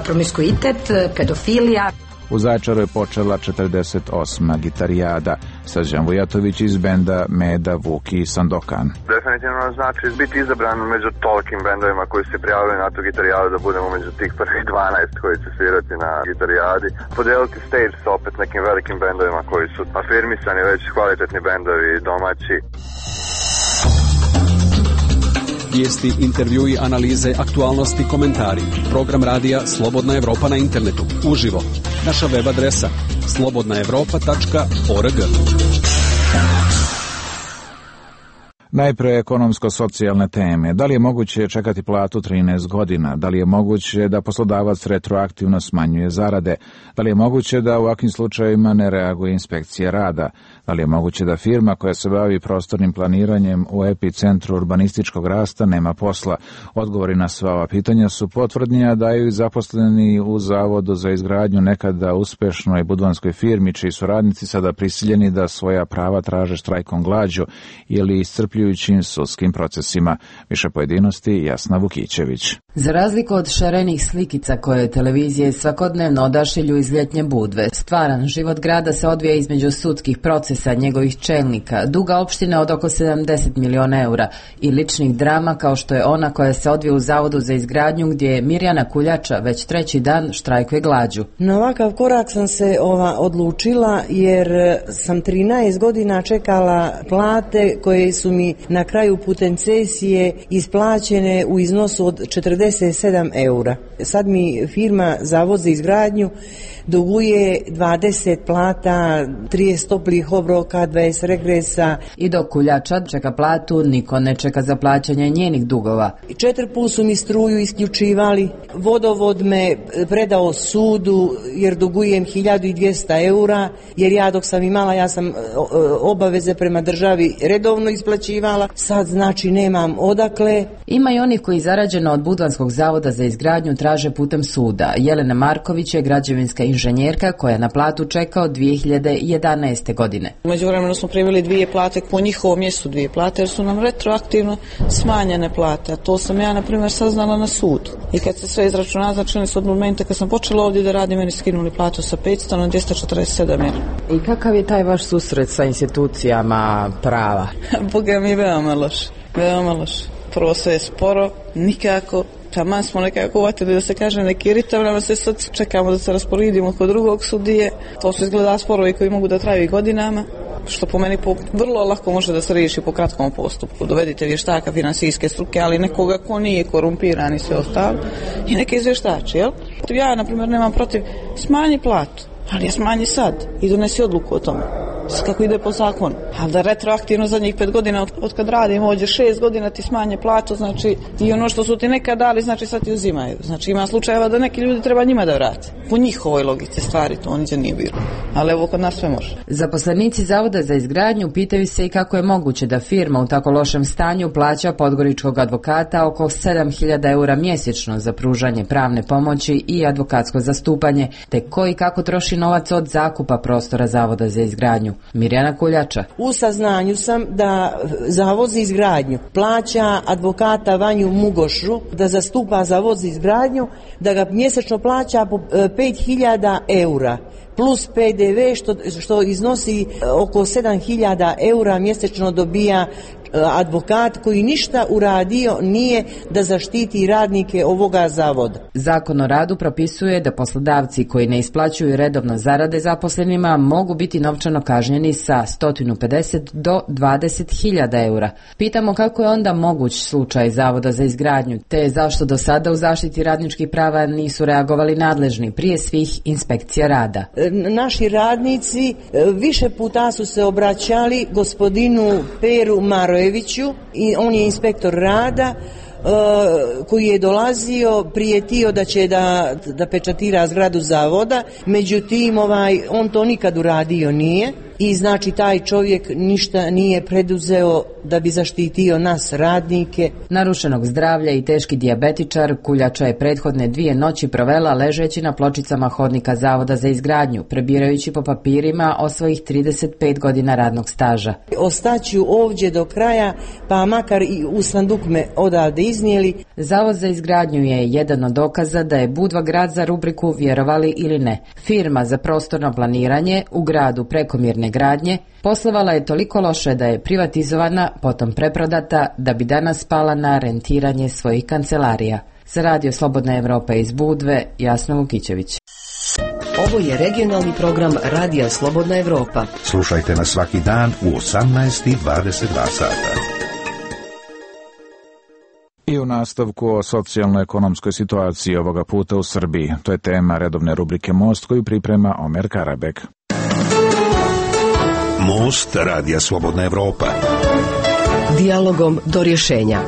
promiskuitet, pedofilija. U Zaječaru je počela 48. gitarijada. Srđan Vujatović iz benda Meda, Vuki i Sandokan. Definitivno znači biti izabran među tolikim bendovima koji se prijavili na tu gitarijadu, da budemo među tih prvih 12 koji će svirati na gitarijadi. Podeliti stage sa opet nekim velikim bendovima koji su afirmisani, već kvalitetni bendovi domaći. Vijesti, intervjui, analize, aktualnosti, komentari. Program radija Slobodna Evropa na internetu. Uživo. Naša web adresa slobodnaevropa.org. Najpre ekonomsko-socijalne teme. Da li je moguće čekati platu 13 godina? Da li je moguće da poslodavac retroaktivno smanjuje zarade? Da li je moguće da u ovakvim slučajevima ne reaguje inspekcija rada? Da li je moguće da firma koja se bavi prostornim planiranjem u epicentru urbanističkog rasta nema posla? Odgovori na sva ova pitanja su potvrdni, a daju i zaposleni u Zavodu za izgradnju nekada uspešnoj budvanskoj firmi, čiji su radnici sada prisiljeni da svoja prava traže štrajkom glađu ili iscrpljujućim sudskim procesima. Više pojedinosti Jasna Vukićević. Za razliku od šarenih slikica koje televizije svakodnevno odašilju iz ljetnje Budve, stvaran život grada se odvija između sudskih procesa njegovih čelnika, duga opštine od oko 70 miliona eura i ličnih drama kao što je ona koja se odvija u Zavodu za izgradnju, gdje je Mirjana Kuljača već treći dan štrajkuje glađu. Na ovakav korak sam se odlučila jer sam 13 godina čekala plate koje su mi na kraju putem cesije isplaćene u iznosu od 47 eura. Sad mi firma Zavod za izgradnju duguje 20 plata, 30 toplih obroka, 20 regresa. I dok Kuljača čeka platu, niko ne čeka za plaćanje njenih dugova. 4 puta su mi struju isključivali, vodovod me predao sudu jer dugujem 1200 eura, jer ja dok sam imala, ja sam obaveze prema državi redovno isplaćivala, sad znači nemam odakle. Ima i onih koji zarađeno od Budvanskog zavoda za izgradnju traže putem suda. Jelena Marković je građevinska inženjerka koja na platu čeka od 2011. godine. U međuvremenu smo primili 2 plate, po njihovom mjestu 2 plate, jer su nam retroaktivno smanjene plate. A to sam ja, na primjer, saznala na sudu. I kad se sve izračuna, znači su od momenta kad sam počela ovdje da radim, meni skinuli platu sa 500 na 247 eura. I kakav je taj vaš susret sa institucijama prava? Boga mi, veoma loš. Veoma loš. Prvo sve je sporo, nikako. Taman smo nekako uvatili da se kaže neki ritam, se sad čekamo da se rasporedimo kod drugog sudije. To su izgleda sporovi koji mogu da traju i godinama. što po meni vrlo lako može da se riješi po kratkom postupku. Dovedite vještaka finansijske struke, ali nekoga ko nije korumpiran i sve ostalo, i neke izvještači, jel? Ja, na primjer, nemam protiv smanji platu, ali je smanji sad i donesi odluku o tome. Kako ide po zakonu. A da retroaktivno zadnjih 5 godina od kad radim ovdje 6 godina ti smanje platu, znači i ono što su ti nekad dali, znači sad ti uzimaju. Znači ima slučajeva da neki ljudi treba njima da vrate. Po njihovoj logici stvari to oniđe nije bilo. Ali evo kod nas sve može. Zaposlenici Zavoda za izgradnju pitaju se i kako je moguće da firma u tako lošem stanju plaća podgoričkog advokata oko 7.000 eura mjesečno za pružanje pravne pomoći i advokatsko zastupanje, te ko i kako troši novac od zakupa prostora Zavoda za izgradnju. Mirjana Kuljača. U saznanju sam da Zavod za izgradnju plaća advokata Vanju Mugošu da zastupa Zavod za izgradnju, da ga mjesečno plaća po 5.000 eura plus PDV što iznosi oko 7.000 eura mjesečno dobija advokat koji ništa uradio nije da zaštiti radnike ovoga zavoda. Zakon o radu propisuje da poslodavci koji ne isplaćuju redovno zarade zaposlenima mogu biti novčano kažnjeni sa 150 do 20.000 eura. Pitamo kako je onda moguć slučaj Zavoda za izgradnju, te zašto do sada u zaštiti radničkih prava nisu reagovali nadležni prije svih inspekcija rada. Naši radnici više puta su se obraćali gospodinu Peru Marojeviću i on je inspektor rada koji je dolazio, prijetio da će da pečatira zgradu zavoda, međutim on to nikad uradio nije i znači taj čovjek ništa nije preduzeo da bi zaštitio nas radnike. Narušenog zdravlja i teški dijabetičar Kuljača je prethodne 2 noći provela ležeći na pločicama hodnika Zavoda za izgradnju, prebirajući po papirima o svojih 35 godina radnog staža. Ostaću ovdje do kraja, pa makar i u sanduk me odavde iznijeli. Zavod za izgradnju je jedan od dokaza da je Budva grad za rubriku vjerovali ili ne. Firma za prostorno planiranje u gradu prekomjerne gradnje poslovala je toliko loše da je privatizovana, potom preprodata, da bi danas spala na rentiranje svojih kancelarija. Za Radio Slobodna Evropa iz Budve, Jasna Vukićević. Ovo je regionalni program Radija Slobodna Evropa. Slušajte nas svaki dan u 18:22 sata. I u nastavku o socijalno-ekonomskoj situaciji ovoga puta u Srbiji. To je tema redovne rubrike Most koju priprema Omer Karabek. Most Radija Slobodna Evropa. Dijalogom do rješenja.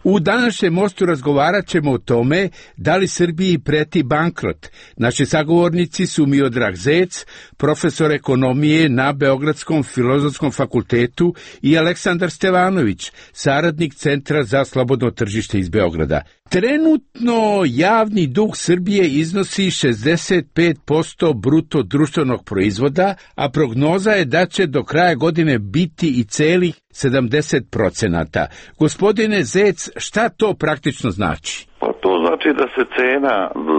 U današnjem mostu razgovarat ćemo o tome da li Srbiji preti bankrot. Naši sagovornici su Miodrag Zec, profesor ekonomije na Beogradskom filozofskom fakultetu, i Aleksandar Stevanović, saradnik Centra za slobodno tržište iz Beograda. Trenutno javni dug Srbije iznosi 65% bruto društvenog proizvoda, a prognoza je da će do kraja godine biti i celih 70%. Gospodine Zec, šta to praktično znači? Pa to znači da se cena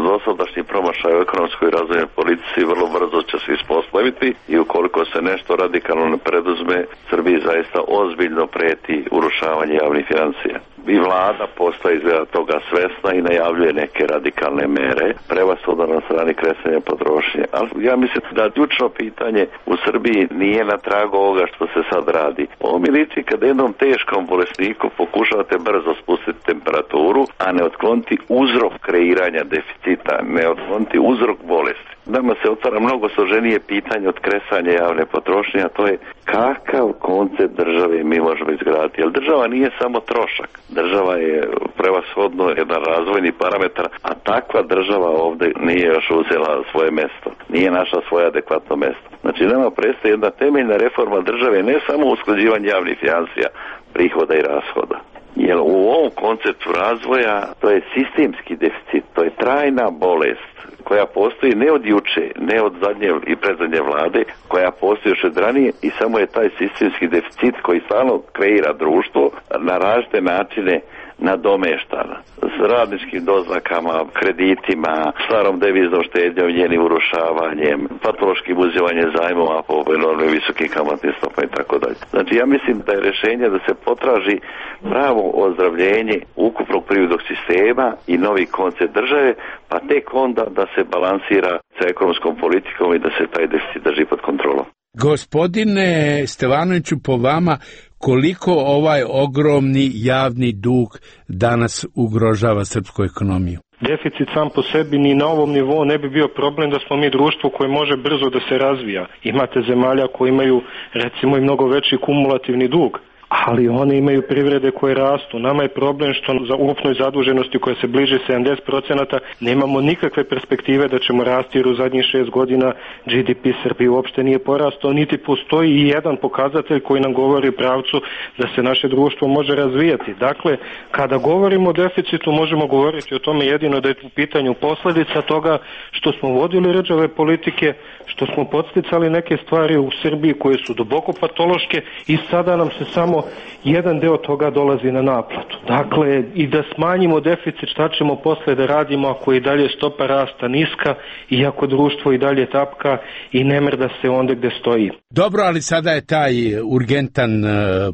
dosadašnji promašaj u ekonomskoj razvojnoj politici vrlo brzo će se ispostaviti i ukoliko se nešto radikalno ne preduzme, Srbiji zaista ozbiljno preti urušavanje javnih financija. I vlada postaje izgleda toga svesna i najavljuje neke radikalne mere, prevashodno na strani kresanja potrošnje. Ali ja mislim da ključno pitanje u Srbiji nije na tragu ovoga što se sad radi. Ovo mi liči kada jednom teškom bolesniku pokušavate brzo spustiti temperaturu, a ne otkloniti uzrok kreiranja deficita, ne otkloniti uzrok bolesti. Nama se otvara mnogo složenije pitanje od kresanja javne potrošnje, a to je kakav koncept države mi možemo izgraditi. Jer država nije samo trošak. Država je prevashodno jedan razvojni parametar, a takva država ovdje nije još uzela svoje mjesto. Nije našla svoje adekvatno mjesto. Znači nama predstoji jedna temeljna reforma države, ne samo usklađivanje javnih financija, prihoda i rashoda. Jer u ovom konceptu razvoja to je sistemski deficit, to je trajna bolest koja postoji ne od juče, ne od zadnje i predzadnje vlade, koja postoji još od ranije i samo je taj sistemski deficit koji stalno kreira društvo na različite načine nadomeštana s radničkim doznakama, kreditima, starom deviznom štednjom, njenim urušavanjem, patološkim uzimanjem zajmova po enormno visokim kamatnim stopama i tako dalje. Znači ja mislim da je rješenje da se potraži pravo ozdravljenje ukupnog privrednog sistema i novi koncept države, pa tek onda da se balansira sa ekonomskom politikom i da se taj deficit drži pod kontrolom. Gospodine Stevanoviću, po vama, koliko ovaj ogromni javni dug danas ugrožava srpsku ekonomiju? Deficit sam po sebi ni na ovom nivou ne bi bio problem da smo mi društvo koje može brzo da se razvija. Imate zemalja koje imaju recimo i mnogo veći kumulativni dug, ali one imaju privrede koje rastu. Nama je problem što za ukupnoj zaduženosti koja se bliži 70% nemamo nikakve perspektive da ćemo rasti, jer u zadnjih 6 godina GDP Srbije uopšte nije porastao, niti postoji i jedan pokazatelj koji nam govori pravcu da se naše društvo može razvijati. Dakle, kada govorimo o deficitu, možemo govoriti o tome jedino da je u pitanju posljedica toga što smo vodili rđave politike, što smo podsticali neke stvari u Srbiji koje su duboko patološke i sada nam se samo jedan deo toga dolazi na naplatu. Dakle, i da smanjimo deficit, šta ćemo posle da radimo ako je i dalje stopa rasta niska i ako društvo i dalje tapka i ne mrda se onda gde stoji. Dobro, ali sada je taj urgentan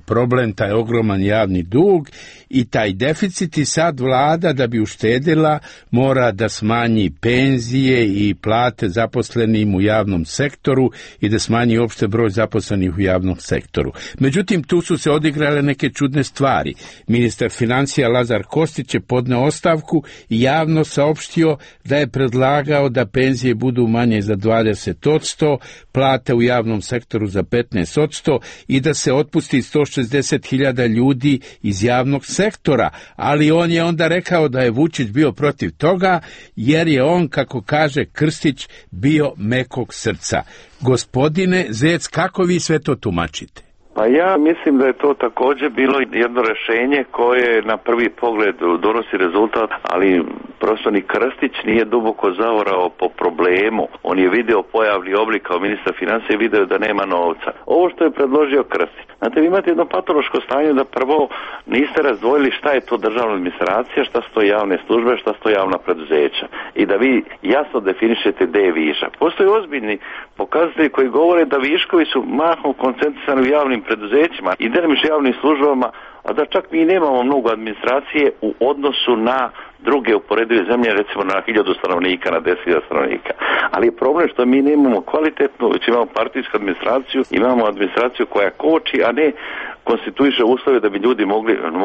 problem, taj ogroman javni dug i taj deficit i sad vlada da bi uštedila mora da smanji penzije i plate zaposlenim u javnom sektoru i da smanji opšte broj zaposlenih u javnom sektoru. Međutim, tu su se odigrale neke čudne stvari. Ministar financija Lazar Kostić je podneo ostavku i javno saopštio da je predlagao da penzije budu manje za 20%, plate u javnom sektoru za 15% i da se otpusti 160.000 ljudi iz javnog sektora, ali on je onda rekao da je Vučić bio protiv toga jer je on, kako kaže Krstić, bio mekog srca. Gospodine Zec, kako vi sve to tumačite? Pa ja mislim da je to također bilo jedno rješenje koje na prvi pogled donosi rezultat, ali prosto ni Krstić nije duboko zaorao po problemu. On je video pojavni oblik kao ministar financija i video da nema novca. Ovo što je predložio Krstić. Znate, vi imate jedno patološko stanje da prvo niste razdvojili šta je to državna administracija, šta su to javne službe, šta su to javna preduzeća. I da vi jasno definišete gde je višak. Postoje ozbiljni pokazatelji koji govore da viškovi su mahom koncentrisani u javnim preduzećima i delimično javnim službama, a da čak mi nemamo mnogo administracije u odnosu na druge uporedive zemlje, recimo na 1000 stanovnika, na 10.000 stanovnika. Ali je problem što mi nemamo kvalitetnu, već imamo partijsku administraciju, imamo administraciju koja koči, a ne konstituiše uslove da bi ljudi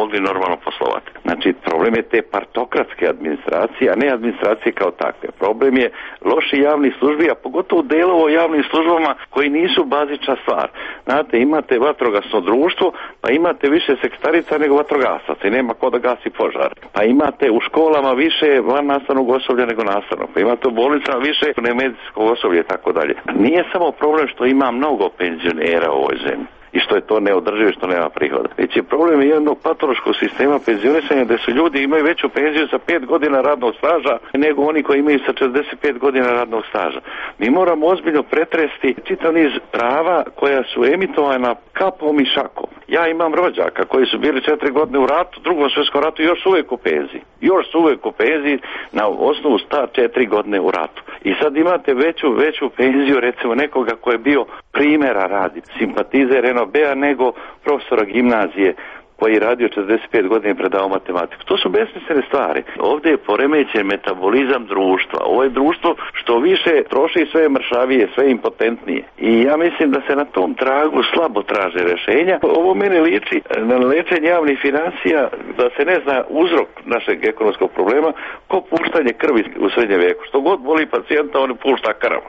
mogli normalno poslovati. Znači, problem je te partokratske administracije, a ne administracije kao takve. Problem je loši javni službi, a pogotovo delovo javnim službama koji nisu bazična stvar. Znate, imate vatrogasno društvo, pa imate više sekretarica nego vatrogasaca i nema ko da gasi požar. Pa imate u školama više van nastavnog osoblja nego nastavnog. Pa imate u bolnicama više nemedicinskog osoblja i tako dalje. Nije samo problem što ima mnogo penzionera u ovoj zemlji i što je to neodrživo, što nema prihoda. Već je problem jednog patološkog sistema penzionisanja gde su ljudi imaju veću penziju sa 5 godina radnog staža nego oni koji imaju sa 45 godina radnog staža. Mi moramo ozbiljno pretresti čitav niz prava koja su emitovana kapom i šakom. Ja imam rođaka koji su bili 4 godine u ratu, drugom svjetskom ratu i još uvijek u penziji. Još su uvijek u penziji na osnovu sta 4 godine u ratu. I sad imate veću penziju recimo nekoga ko je bio primjera radi, simpatizer NOB-a nego profesora gimnazije koji je radio 45 godina i predao matematiku. To su besmislene stvari. Ovdje je poremećen metabolizam društva. Ovo je društvo što više troši, sve mršavije, sve impotentnije. I ja mislim da se na tom tragu slabo traže rješenja. Ovo mene liči na lečenje javnih financija, da se ne zna uzrok našeg ekonomskog problema, ko puštanje krvi u srednjem vijeku. Što god boli pacijenta, on pušta krv.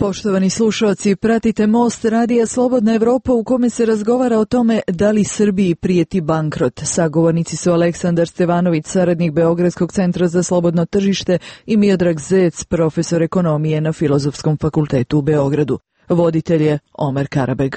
Poštovani slušalci, pratite Most radija Slobodna Evropa u kome se razgovara o tome da li Srbiji prijeti bankrot. Sagovornici su Aleksandar Stevanović, saradnik Beogradskog centra za slobodno tržište i Miodrag Zec, profesor ekonomije na Filozofskom fakultetu u Beogradu. Voditelj je Omer Karabeg.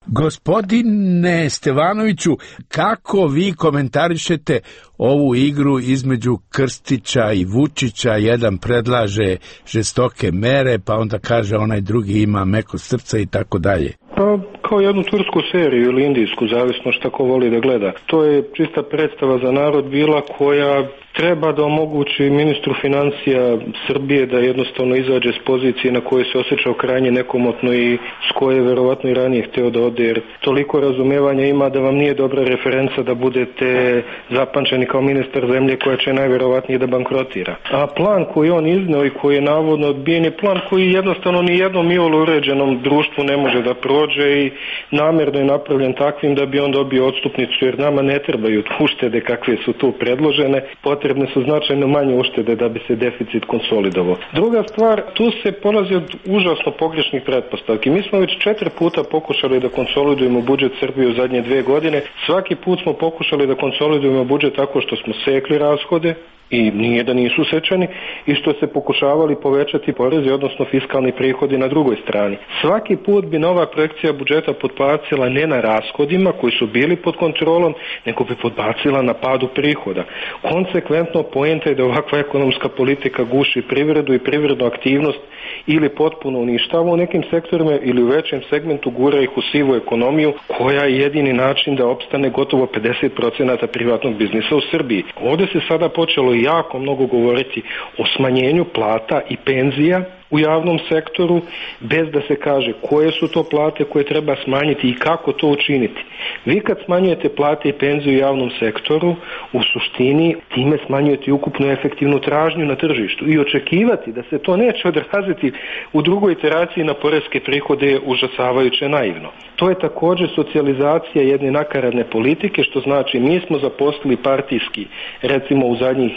Gospodine Stevanoviću, kako vi komentarišete ovu igru između Krstića i Vučića? Jedan predlaže žestoke mere, pa onda kaže onaj drugi ima meko srca i tako dalje. Pa kao jednu tursku seriju ili indijsku, zavisno šta ko voli da gleda. To je čista predstava za narod bila koja treba da omogući ministru financija Srbije da jednostavno izađe s pozicije na koje se osjećao krajnje nekomotno i s koje je verovatno i ranije hteo da ode, jer toliko razumevanja ima da vam nije dobra referenca da budete zapamćeni kao ministar zemlje koja će najverovatnije da bankrotira. A plan koji on izneo i koji je navodno odbijen je plan koji jednostavno ni jednom iole uređenom društvu ne može da prođe i namerno je napravljen takvim da bi on dobio odstupnicu, jer nama ne trebaju uštede kakve su tu predložene, potrebne su značajno manje uštede da bi se deficit konsolidovao. Druga stvar, tu se polazi od užasno pogrešnih pretpostavki. Mi smo već 4 puta pokušali da konsolidujemo budžet Srbije u zadnje 2 godine. Svaki put smo pokušali da konsolidujemo budžet tako što smo sekli rashode, i nije da nisu sečani, i što se pokušavali povećati porezi, odnosno fiskalni prihodi na drugoj strani. Svaki put bi nova projekcija budžeta podbacila ne na rashodima koji su bili pod kontrolom, nego bi podbacila na padu prihoda. Konsekventno, poenta je da ovakva ekonomska politika guši privredu i privrednu aktivnost ili potpuno uništava u nekim sektorima ili u većem segmentu gura ih u sivu ekonomiju, koja je jedini način da opstane gotovo 50% privatnog biznisa u Srbiji. Ovdje se sada počelo jako mnogo govoriti o smanjenju plata i penzija u javnom sektoru, bez da se kaže koje su to plate koje treba smanjiti i kako to učiniti. Vi kad smanjujete plate i penziju u javnom sektoru, u suštini time smanjujete i ukupnu efektivnu tražnju na tržištu i očekivati da se to neće odraziti u drugoj iteraciji na poreske prihode je užasavajuće naivno. To je također socijalizacija jedne nakaradne politike, što znači mi smo zaposlili partijski, recimo u zadnjih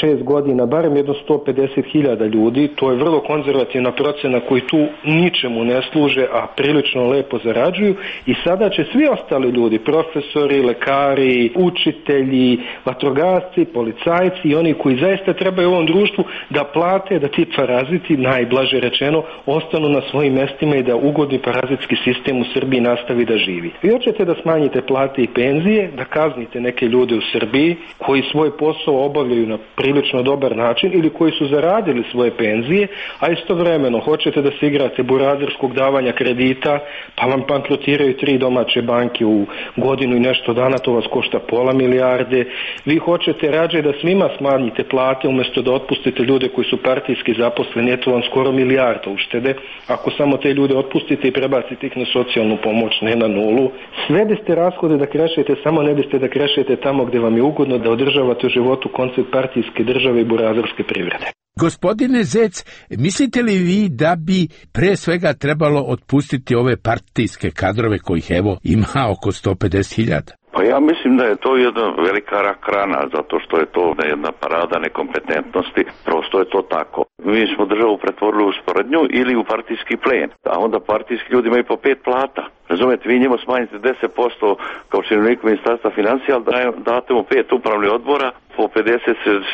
6 godina, barem jedno 150.000 ljudi, to je vrlo konzervativna procena koji tu ničemu ne služe, a prilično lepo zarađuju, i sada će svi ostali ljudi, profesori, lekari, učitelji, vatrogasci, policajci i oni koji zaista trebaju u ovom društvu da plate, da ti paraziti, najblaže rečeno, ostanu na svojim mestima i da ugodni parazitski sistem u Srbiji nastavi da živi. Vi hoćete da smanjite plate i penzije, da kaznite neke ljude u Srbiji koji svoj posao obavljaju na prilično dobar način ili koji su zaradili svoje penzije, a istovremeno hoćete da se igrate burazerskog davanja kredita, pa vam bankrotiraju 3 domaće banke u godinu i nešto dana, to vas košta pola milijarde. Vi hoćete rađe da svima smanjite plate umjesto da otpustite ljude koji su partijski zaposleni, eto vam skoro milijarda uštede. Ako samo te ljude otpustite i prebacite ih na socijalnu pomoć, ne na nulu. Sve biste rashode da krešete, samo ne biste da krešete tamo gdje vam je ugodno, da održavate u životu koncept partijske države i burazerske privrede. Gospodine Zec, mislite li vi da bi pre svega trebalo otpustiti ove partijske kadrove kojih evo ima oko 150.000? Pa ja mislim da je to jedna velika rak rana, zato što je to jedna parada nekompetentnosti, prosto je to tako. Mi smo državu pretvorili u sporednju ili u partijski plen, a onda partijski ljudi imaju po 5 plata. Razumete, vi njima smanjite 10% kao činovniku ministarstva financija, ali date mu 5 upravnih odbora po 50,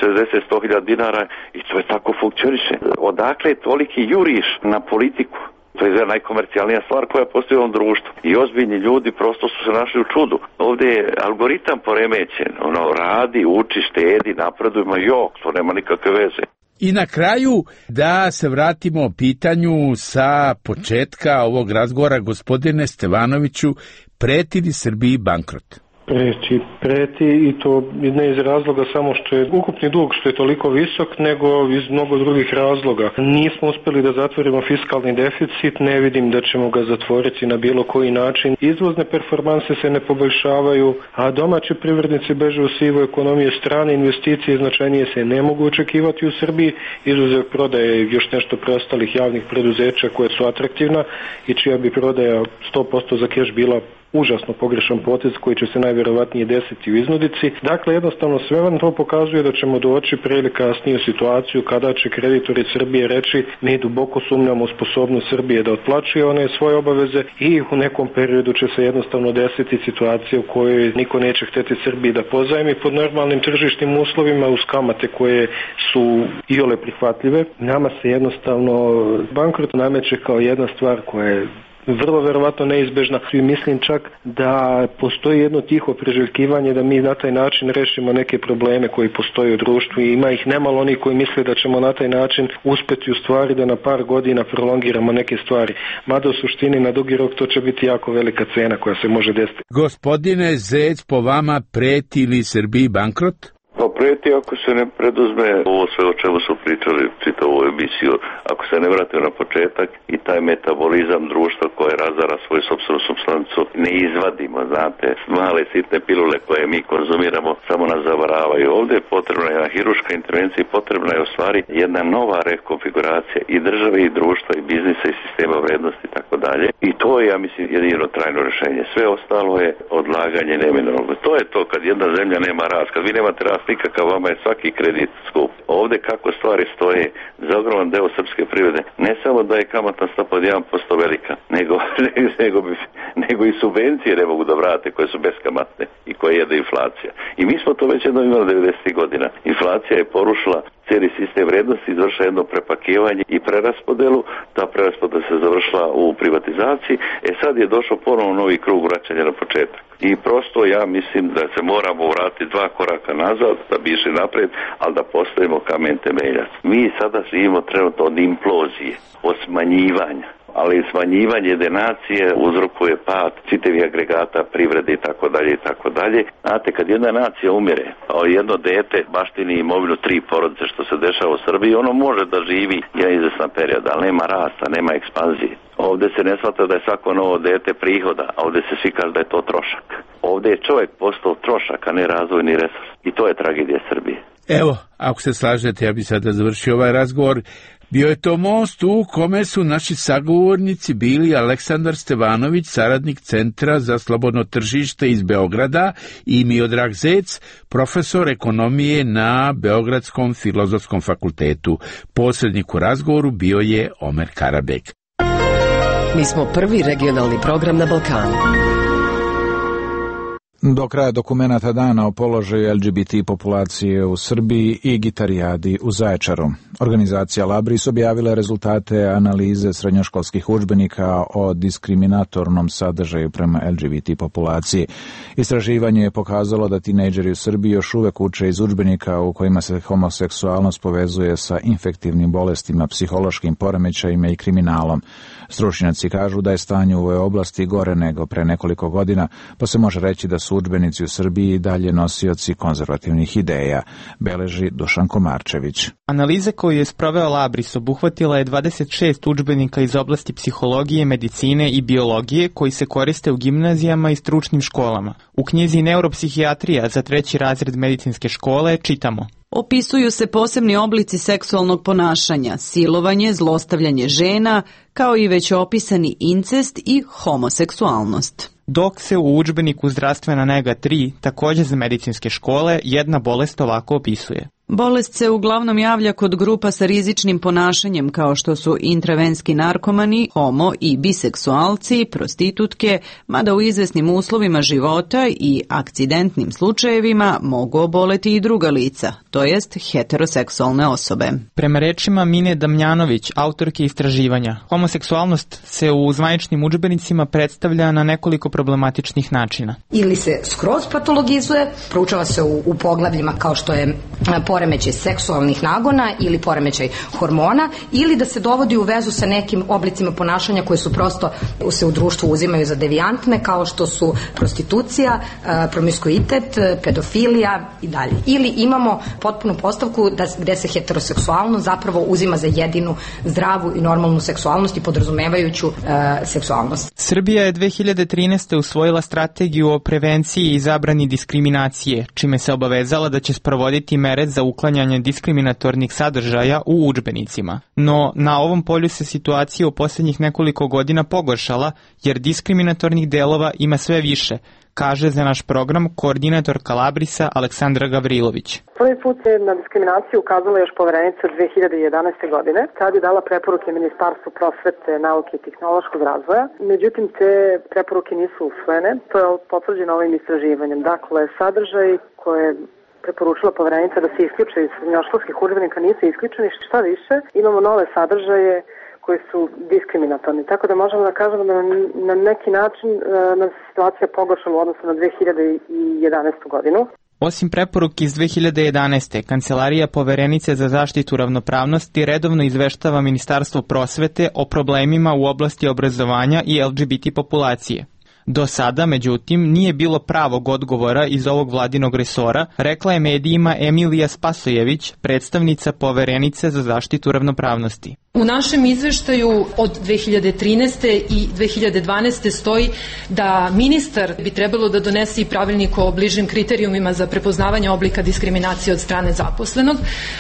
60, 100.000 dinara i to je tako funkcioniše. Odakle je toliki juriš na politiku? To je najkomercijalnija stvar koja postoji u ovom društvu. I ozbiljni ljudi prosto su se našli u čudu. Ovdje je algoritam poremećen. Radi, uči, štedi, napreduje, to nema nikakve veze. I na kraju da se vratimo pitanju sa početka ovog razgovora, gospodine Stevanoviću, preti li Srbiji bankrot? Preti i to ne iz razloga samo što je ukupni dug što je toliko visok, nego iz mnogo drugih razloga. Nismo uspjeli da zatvorimo fiskalni deficit, ne vidim da ćemo ga zatvoriti na bilo koji način. Izvozne performanse se ne poboljšavaju, a domaći privrednici beže u sivu ekonomiju, strane investicije značajnije se ne mogu očekivati u Srbiji, izuzev prodaje još nešto preostalih javnih preduzeća koje su atraktivna i čija bi prodaja 100% za keš bila užasno pogrešan potez koji će se najvjerovatnije desiti u iznudici. Dakle, jednostavno sve vam to pokazuje da ćemo doći pre ili kasnije u situaciju kada će kreditori Srbije reći mi duboko sumnjamo u sposobnost Srbije da otplaćuje one svoje obaveze i u nekom periodu će se jednostavno desiti situacija u kojoj niko neće hteti Srbiji da pozajmi pod normalnim tržišnim uslovima uz kamate koje su iole prihvatljive. Nama se jednostavno bankrot nameće kao jedna stvar koja je vrlo verovatno neizbežna. I mislim čak da postoji jedno tiho priželjkivanje da mi na taj način rešimo neke probleme koji postoje u društvu i ima ih nemalo oni koji misle da ćemo na taj način uspeti u stvari da na par godina prolongiramo neke stvari. Mada u suštini na dugi rok to će biti jako velika cena koja se može desiti. Gospodine Zec, po vama preti li Srbiji bankrot? Pa preti ako se ne preduzme ovo sve o čemu su pričali čitavu emisiju, ako se ne vrate na početak i taj metabolizam društva koje razara svoju sopstvenu supstancu ne izvadimo, znate, male sitne pilule koje mi konzumiramo samo nas zavaravaju. Ovdje je potrebna jedna hirurška intervencija i potrebna je u stvari jedna nova rekonfiguracija i države i društva i biznisa i sistema vrednosti i tako dalje. I to je, ja mislim, jedino trajno rješenje. Sve ostalo je odlaganje neminovno. To je to kad jedna zemlja nema rast, kad vi nemate rast nikakav, vama je svaki kredit skup. Ovdje kako stvari stoje za ogroman deo srpske privrede, ne samo da je kamatna stopa od 1% velika, nego i subvencije ne mogu da vrate koje su beskamatne i koje jede inflacija. I mi smo to već jedno imali 90. godina. Inflacija je porušila cijeli sistem vrednosti, izvršila jedno prepakivanje i preraspodelu. Ta preraspodela se završila u privatizaciji. Sad je došao ponovo novi krug vraćanja na početak. I prosto ja mislim da se moramo vratiti 2 koraka nazad da bi išli naprijed, ali da postavimo kamen temeljac. Mi sada živimo trenutno od implozije, od smanjivanja. Ali smanjivanje jedne nacije uzrokuje pad čitavih agregata privrede i tako dalje i tako dalje. Znate, kad jedna nacija umire, a jedno dete baštini imovinu 3 porodice što se dešava u Srbiji, ono može da živi jedan izvestan period, ali nema rasta, nema ekspanzije. Ovdje se ne shvata da je svako novo dete prihoda, a ovdje se svi kaže da je to trošak. Ovdje je čovjek postao trošak, a ne razvojni resurs. I to je tragedija Srbije. Evo, ako se slažete, ja bi sada završio ovaj razgovor. Bio je to most u kome su naši sagovornici bili Aleksandar Stevanović, saradnik Centra za slobodno tržište iz Beograda, i Miodrag Zec, profesor ekonomije na Beogradskom filozofskom fakultetu. Posrednik u razgovoru bio je Omer Karabek. Mi smo prvi regionalni program na Balkanu. Do kraja dokumenata dana o položaju LGBT populacije u Srbiji i gitarijadi u Zaječaru. Organizacija Labris objavila rezultate analize srednjoškolskih udžbenika o diskriminatornom sadržaju prema LGBT populaciji. Istraživanje je pokazalo da tinejdžeri u Srbiji još uvek uče iz udžbenika u kojima se homoseksualnost povezuje sa infektivnim bolestima, psihološkim poremećajima i kriminalom. Stručnjaci kažu da je stanje u ovoj oblasti gore nego pre nekoliko godina, pa se može reći da su udžbenici u Srbiji dalje nosioci konzervativnih ideja, beleži Dušan Komarčević. Analiza koju je sproveo Labris obuhvatila je 26 udžbenika iz oblasti psihologije, medicine i biologije koji se koriste u gimnazijama i stručnim školama. U knjizi Neuropsihijatrija za 3. razred medicinske škole čitamo: opisuju se posebni oblici seksualnog ponašanja, silovanje, zlostavljanje žena, kao i već opisani incest i homoseksualnost. Dok se u udžbeniku Zdravstvena nega 3, također za medicinske škole, jedna bolest ovako opisuje. Bolest se uglavnom javlja kod grupa sa rizičnim ponašanjem kao što su intravenski narkomani, homo i biseksualci, prostitutke, mada u izvesnim uslovima života i akcidentnim slučajevima mogu oboleti i druga lica, to jest heteroseksualne osobe. Prema rečima Mine Damjanović, autorke istraživanja, homoseksualnost se u zvaničnim udžbenicima predstavlja na nekoliko problematičnih načina. Ili se skroz patologizuje, proučava se u poglavljima kao što je poremećaj seksualnih nagona ili poremećaj hormona, ili da se dovodi u vezu sa nekim oblicima ponašanja koje su prosto se u društvu uzimaju za devijantne, kao što su prostitucija, promiskuitet, pedofilija i dalje. Ili imamo potpunu postavku gde se heteroseksualno zapravo uzima za jedinu zdravu i normalnu seksualnost i podrazumevajuću seksualnost. Srbija je 2013. usvojila strategiju o prevenciji i zabrani diskriminacije, čime se obavezala da će sprovoditi mere za uklanjanje diskriminatornih sadržaja u udžbenicima. No, na ovom polju se situacija u posljednjih nekoliko godina pogoršala, jer diskriminatornih delova ima sve više, kaže za naš program koordinatorka Labrisa Aleksandra Gavrilović. Prvi put je na diskriminaciju ukazala još Poverenica 2011. godine. Tad je dala preporuke Ministarstvu prosvete, nauke i tehnološkog razvoja. Međutim, te preporuke nisu usvojene. To je potvrđeno ovim istraživanjem. Dakle, sadržaj koje preporučila Poverenica da se isključe iz srednjoškolskih udžbenika nisu isključeni, šta više, imamo nove sadržaje koji su diskriminatorni. Tako da možemo da kažemo da na neki način nam se situacija pogoršala u odnosu na 2011. godinu. Osim preporuke iz 2011. Kancelarija Poverenice za zaštitu ravnopravnosti redovno izveštava Ministarstvo prosvete o problemima u oblasti obrazovanja i LGBT populacije. Do sada, međutim, nije bilo pravog odgovora iz ovog vladinog resora, rekla je medijima Emilija Spasojević, predstavnica Poverenice za zaštitu ravnopravnosti. U našem izveštaju od 2013. i 2012. stoji da ministar bi trebalo da donese i pravilnik o bližim kriterijumima za prepoznavanje oblika diskriminacije od strane zaposlenog,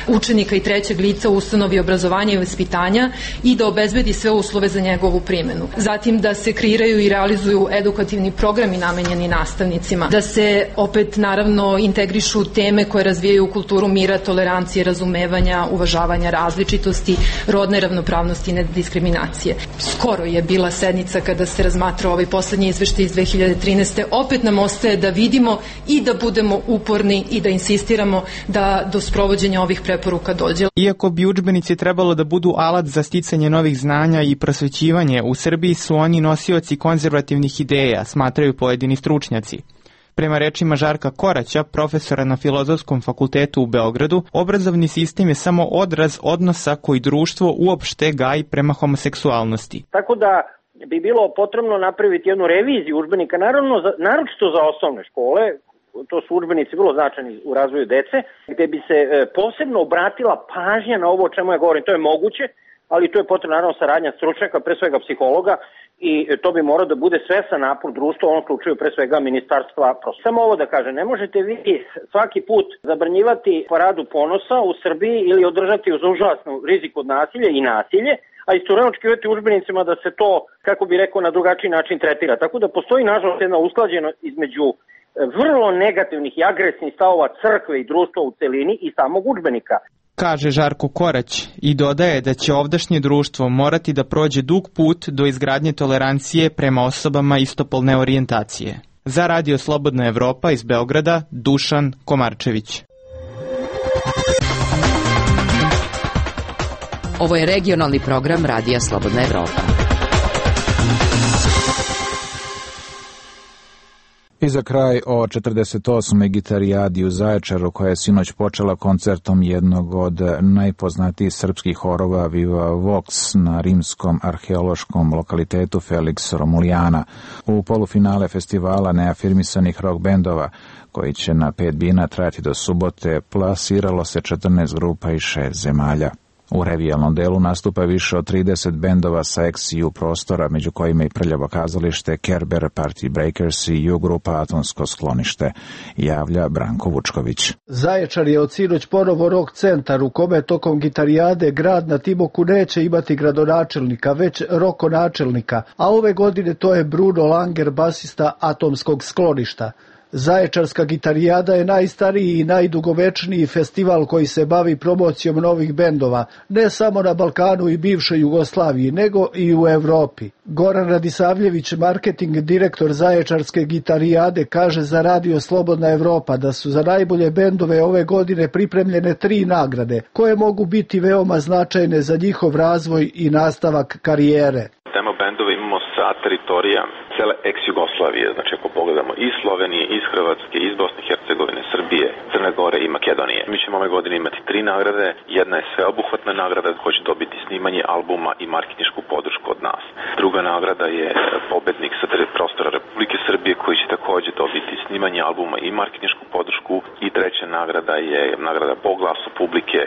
učenika i trećeg lica u ustanovi obrazovanja i vaspitanja i da obezbedi sve uslove za njegovu primjenu. Zatim da se kreiraju i realizuju edukativni programi namenjeni nastavnicima, da se opet naravno integrišu teme koje razvijaju kulturu mira, tolerancije, razumevanja, uvažavanja različitosti, rodne ravnopravnosti i nediskriminacije. Skoro je bila sednica kada se razmatrao ovaj poslednji izveštaj iz 2013. Opet nam ostaje da vidimo i da budemo uporni i da insistiramo da do sprovođenja ovih preporuka dođe. Iako bi udžbenici trebalo da budu alat za sticanje novih znanja i prosvećivanje, u Srbiji su oni nosioci konzervativnih ideja, smatraju pojedini stručnjaci. Prema rečima Žarka Koraća, profesora na Filozofskom fakultetu u Beogradu, obrazovni sistem je samo odraz odnosa koji društvo uopšte gaji prema homoseksualnosti. Tako da bi bilo potrebno napraviti jednu reviziju udžbenika, naročito za osnovne škole, to su udžbenici vrlo značajni u razvoju dece, gde bi se posebno obratila pažnja na ovo o čemu ja govorim. To je moguće, ali to je potrebno naravno saradnja stručnjaka, pre svega psihologa, i to bi morao da bude svesan napor društva, u ovom slučaju pre svega ministarstva. Samo ovo da kažem, ne možete vi svaki put zabranjivati paradu ponosa u Srbiji ili održati uz užasnu rizik od nasilja i nasilje, a istovremeno očekivati udžbenicima da se to, kako bi rekao, na drugačiji način tretira. Tako da postoji nažalost jedna usklađenost između vrlo negativnih i agresivnih stavova crkve i društva u celini i samog udžbenika. Kaže Žarko Korać i dodaje da će ovdašnje društvo morati da prođe dug put do izgradnje tolerancije prema osobama istopolne orijentacije. Za Radio Slobodna Evropa iz Beograda, Dušan Komarčević. Ovo je regionalni program Radija Slobodna Evropa. I za kraj o 48. gitarijadi u Zaječaru, koja je sinoć počela koncertom jednog od najpoznatijih srpskih horova Viva Vox na rimskom arheološkom lokalitetu Felix Romulijana. U polufinale festivala neafirmisanih rock bendova, koji će na 5 bina trajati do subote, plasiralo se 14 grupa iz 6 zemalja. U revijalnom delu nastupa više od 30 bendova sa ex-EU prostora, među kojima i Prljavo kazalište, Kerber, Party Breakers i U grupa Atomsko sklonište, javlja Branko Vučković. Zaječar je od sinoć ponovo rock centar u kome tokom gitarijade grad na Timoku neće imati gradonačelnika, već rokonačelnika, a ove godine to je Bruno Langer, basista Atomskog skloništa. Zaječarska gitarijada je najstariji i najdugovečniji festival koji se bavi promocijom novih bendova, ne samo na Balkanu i bivšoj Jugoslaviji, nego i u Evropi. Goran Radisavljević, marketing direktor Zaječarske gitarijade, kaže za Radio Slobodna Evropa da su za najbolje bendove ove godine pripremljene 3 nagrade, koje mogu biti veoma značajne za njihov razvoj i nastavak karijere. Demo bendove imamo sa teritorija cele ex-Jugoslavije, znači ako pogledamo iz Slovenije, iz Hrvatske, iz Bosne i Hercegovine, Srbije, Crne Gore i Makedonije. Mi ćemo ove godine imati 3 nagrade, jedna je sveobuhvatna nagrada koja će dobiti snimanje albuma i marketinšku podršku od nas. Druga nagrada je pobednik sa prostora Republike Srbije koji će takođe dobiti snimanje albuma i marketinšku podršku i treća nagrada je nagrada po glasu publike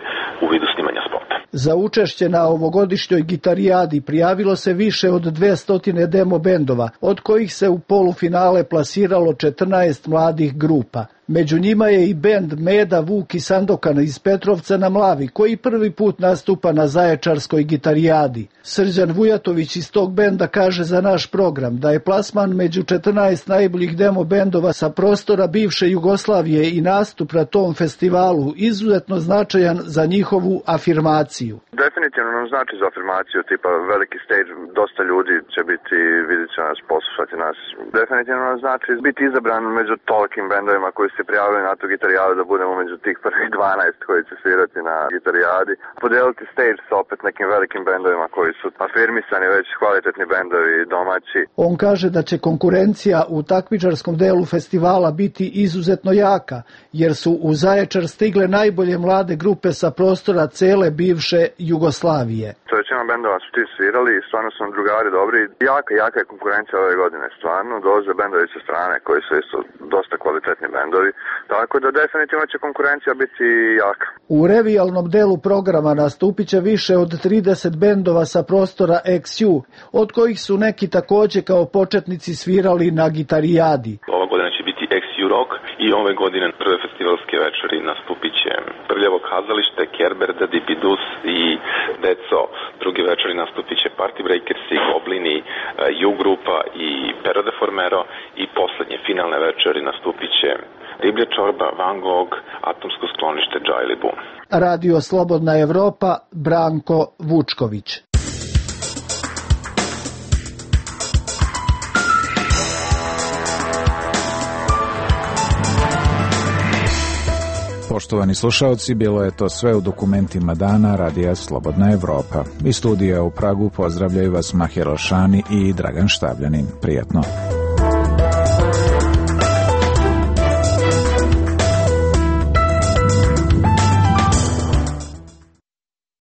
u vidu snimanja spota. Za učešće na ovogodišnjoj gitarijadi prijavilo se više od 200 demo bendova, od kojih se u polufinale plasiralo 14 mladih grupa. Među njima je i bend Meda, Vuk i Sandokan iz Petrovca na Mlavi, koji prvi put nastupa na Zaječarskoj gitarijadi. Srđan Vujatović iz tog benda kaže za naš program da je plasman među 14 najboljih demo bendova sa prostora bivše Jugoslavije i nastup na tom festivalu izuzetno značajan za njihovu afirmaciju. Definitivno nam znači za afirmaciju, tipa veliki stage, dosta ljudi će biti, vidjet će nas, poslušati nas. Definitivno nam znači biti izabran među tolikim bendovima koji se prijavili na tu gitarijadu da budemo među tih prvih 12 koji će svirati na gitarijadi. Podeliti stage sa opet nekim velikim bendovima koji su afirmisani već kvalitetni bendovi domaći. On kaže da će konkurencija u takmičarskom delu festivala biti izuzetno jaka, jer su u Zaječar stigle najbolje mlade grupe sa prostora cele bivše Jugoslavije. Većina bendova su ti svirali i stvarno su nam drugari dobri. Jaka je konkurencija ove godine, stvarno. Dolaze bendovi sa strane koji su isto dosta kvalitetni bendovi, tako da definitivno će konkurencija biti jaka. U revijalnom delu programa nastupit će više od 30 bendova sa prostora XU, od kojih su neki takođe kao početnici svirali na gitarijadi. Ova godina će biti XU Rock i ove godine prve festivalske večeri nastupit će Prljavo kazalište, Kerber, The Dipidus i Deco. Drugi večeri nastupit će Party Breakersi, Goblini, U grupa i Pero de Formero i poslednje finalne večeri nastupit će Riblja čorba, Van Gogh, Atomsko sklonište, Džajlibu. Radio Slobodna Evropa, Branko Vučković. Poštovani slušalci, bilo je to sve u dokumentima dana Radija Slobodna Evropa. Iz studija u Pragu pozdravljaju vas Mahir Alšani i Dragan Štavljanin. Prijatno.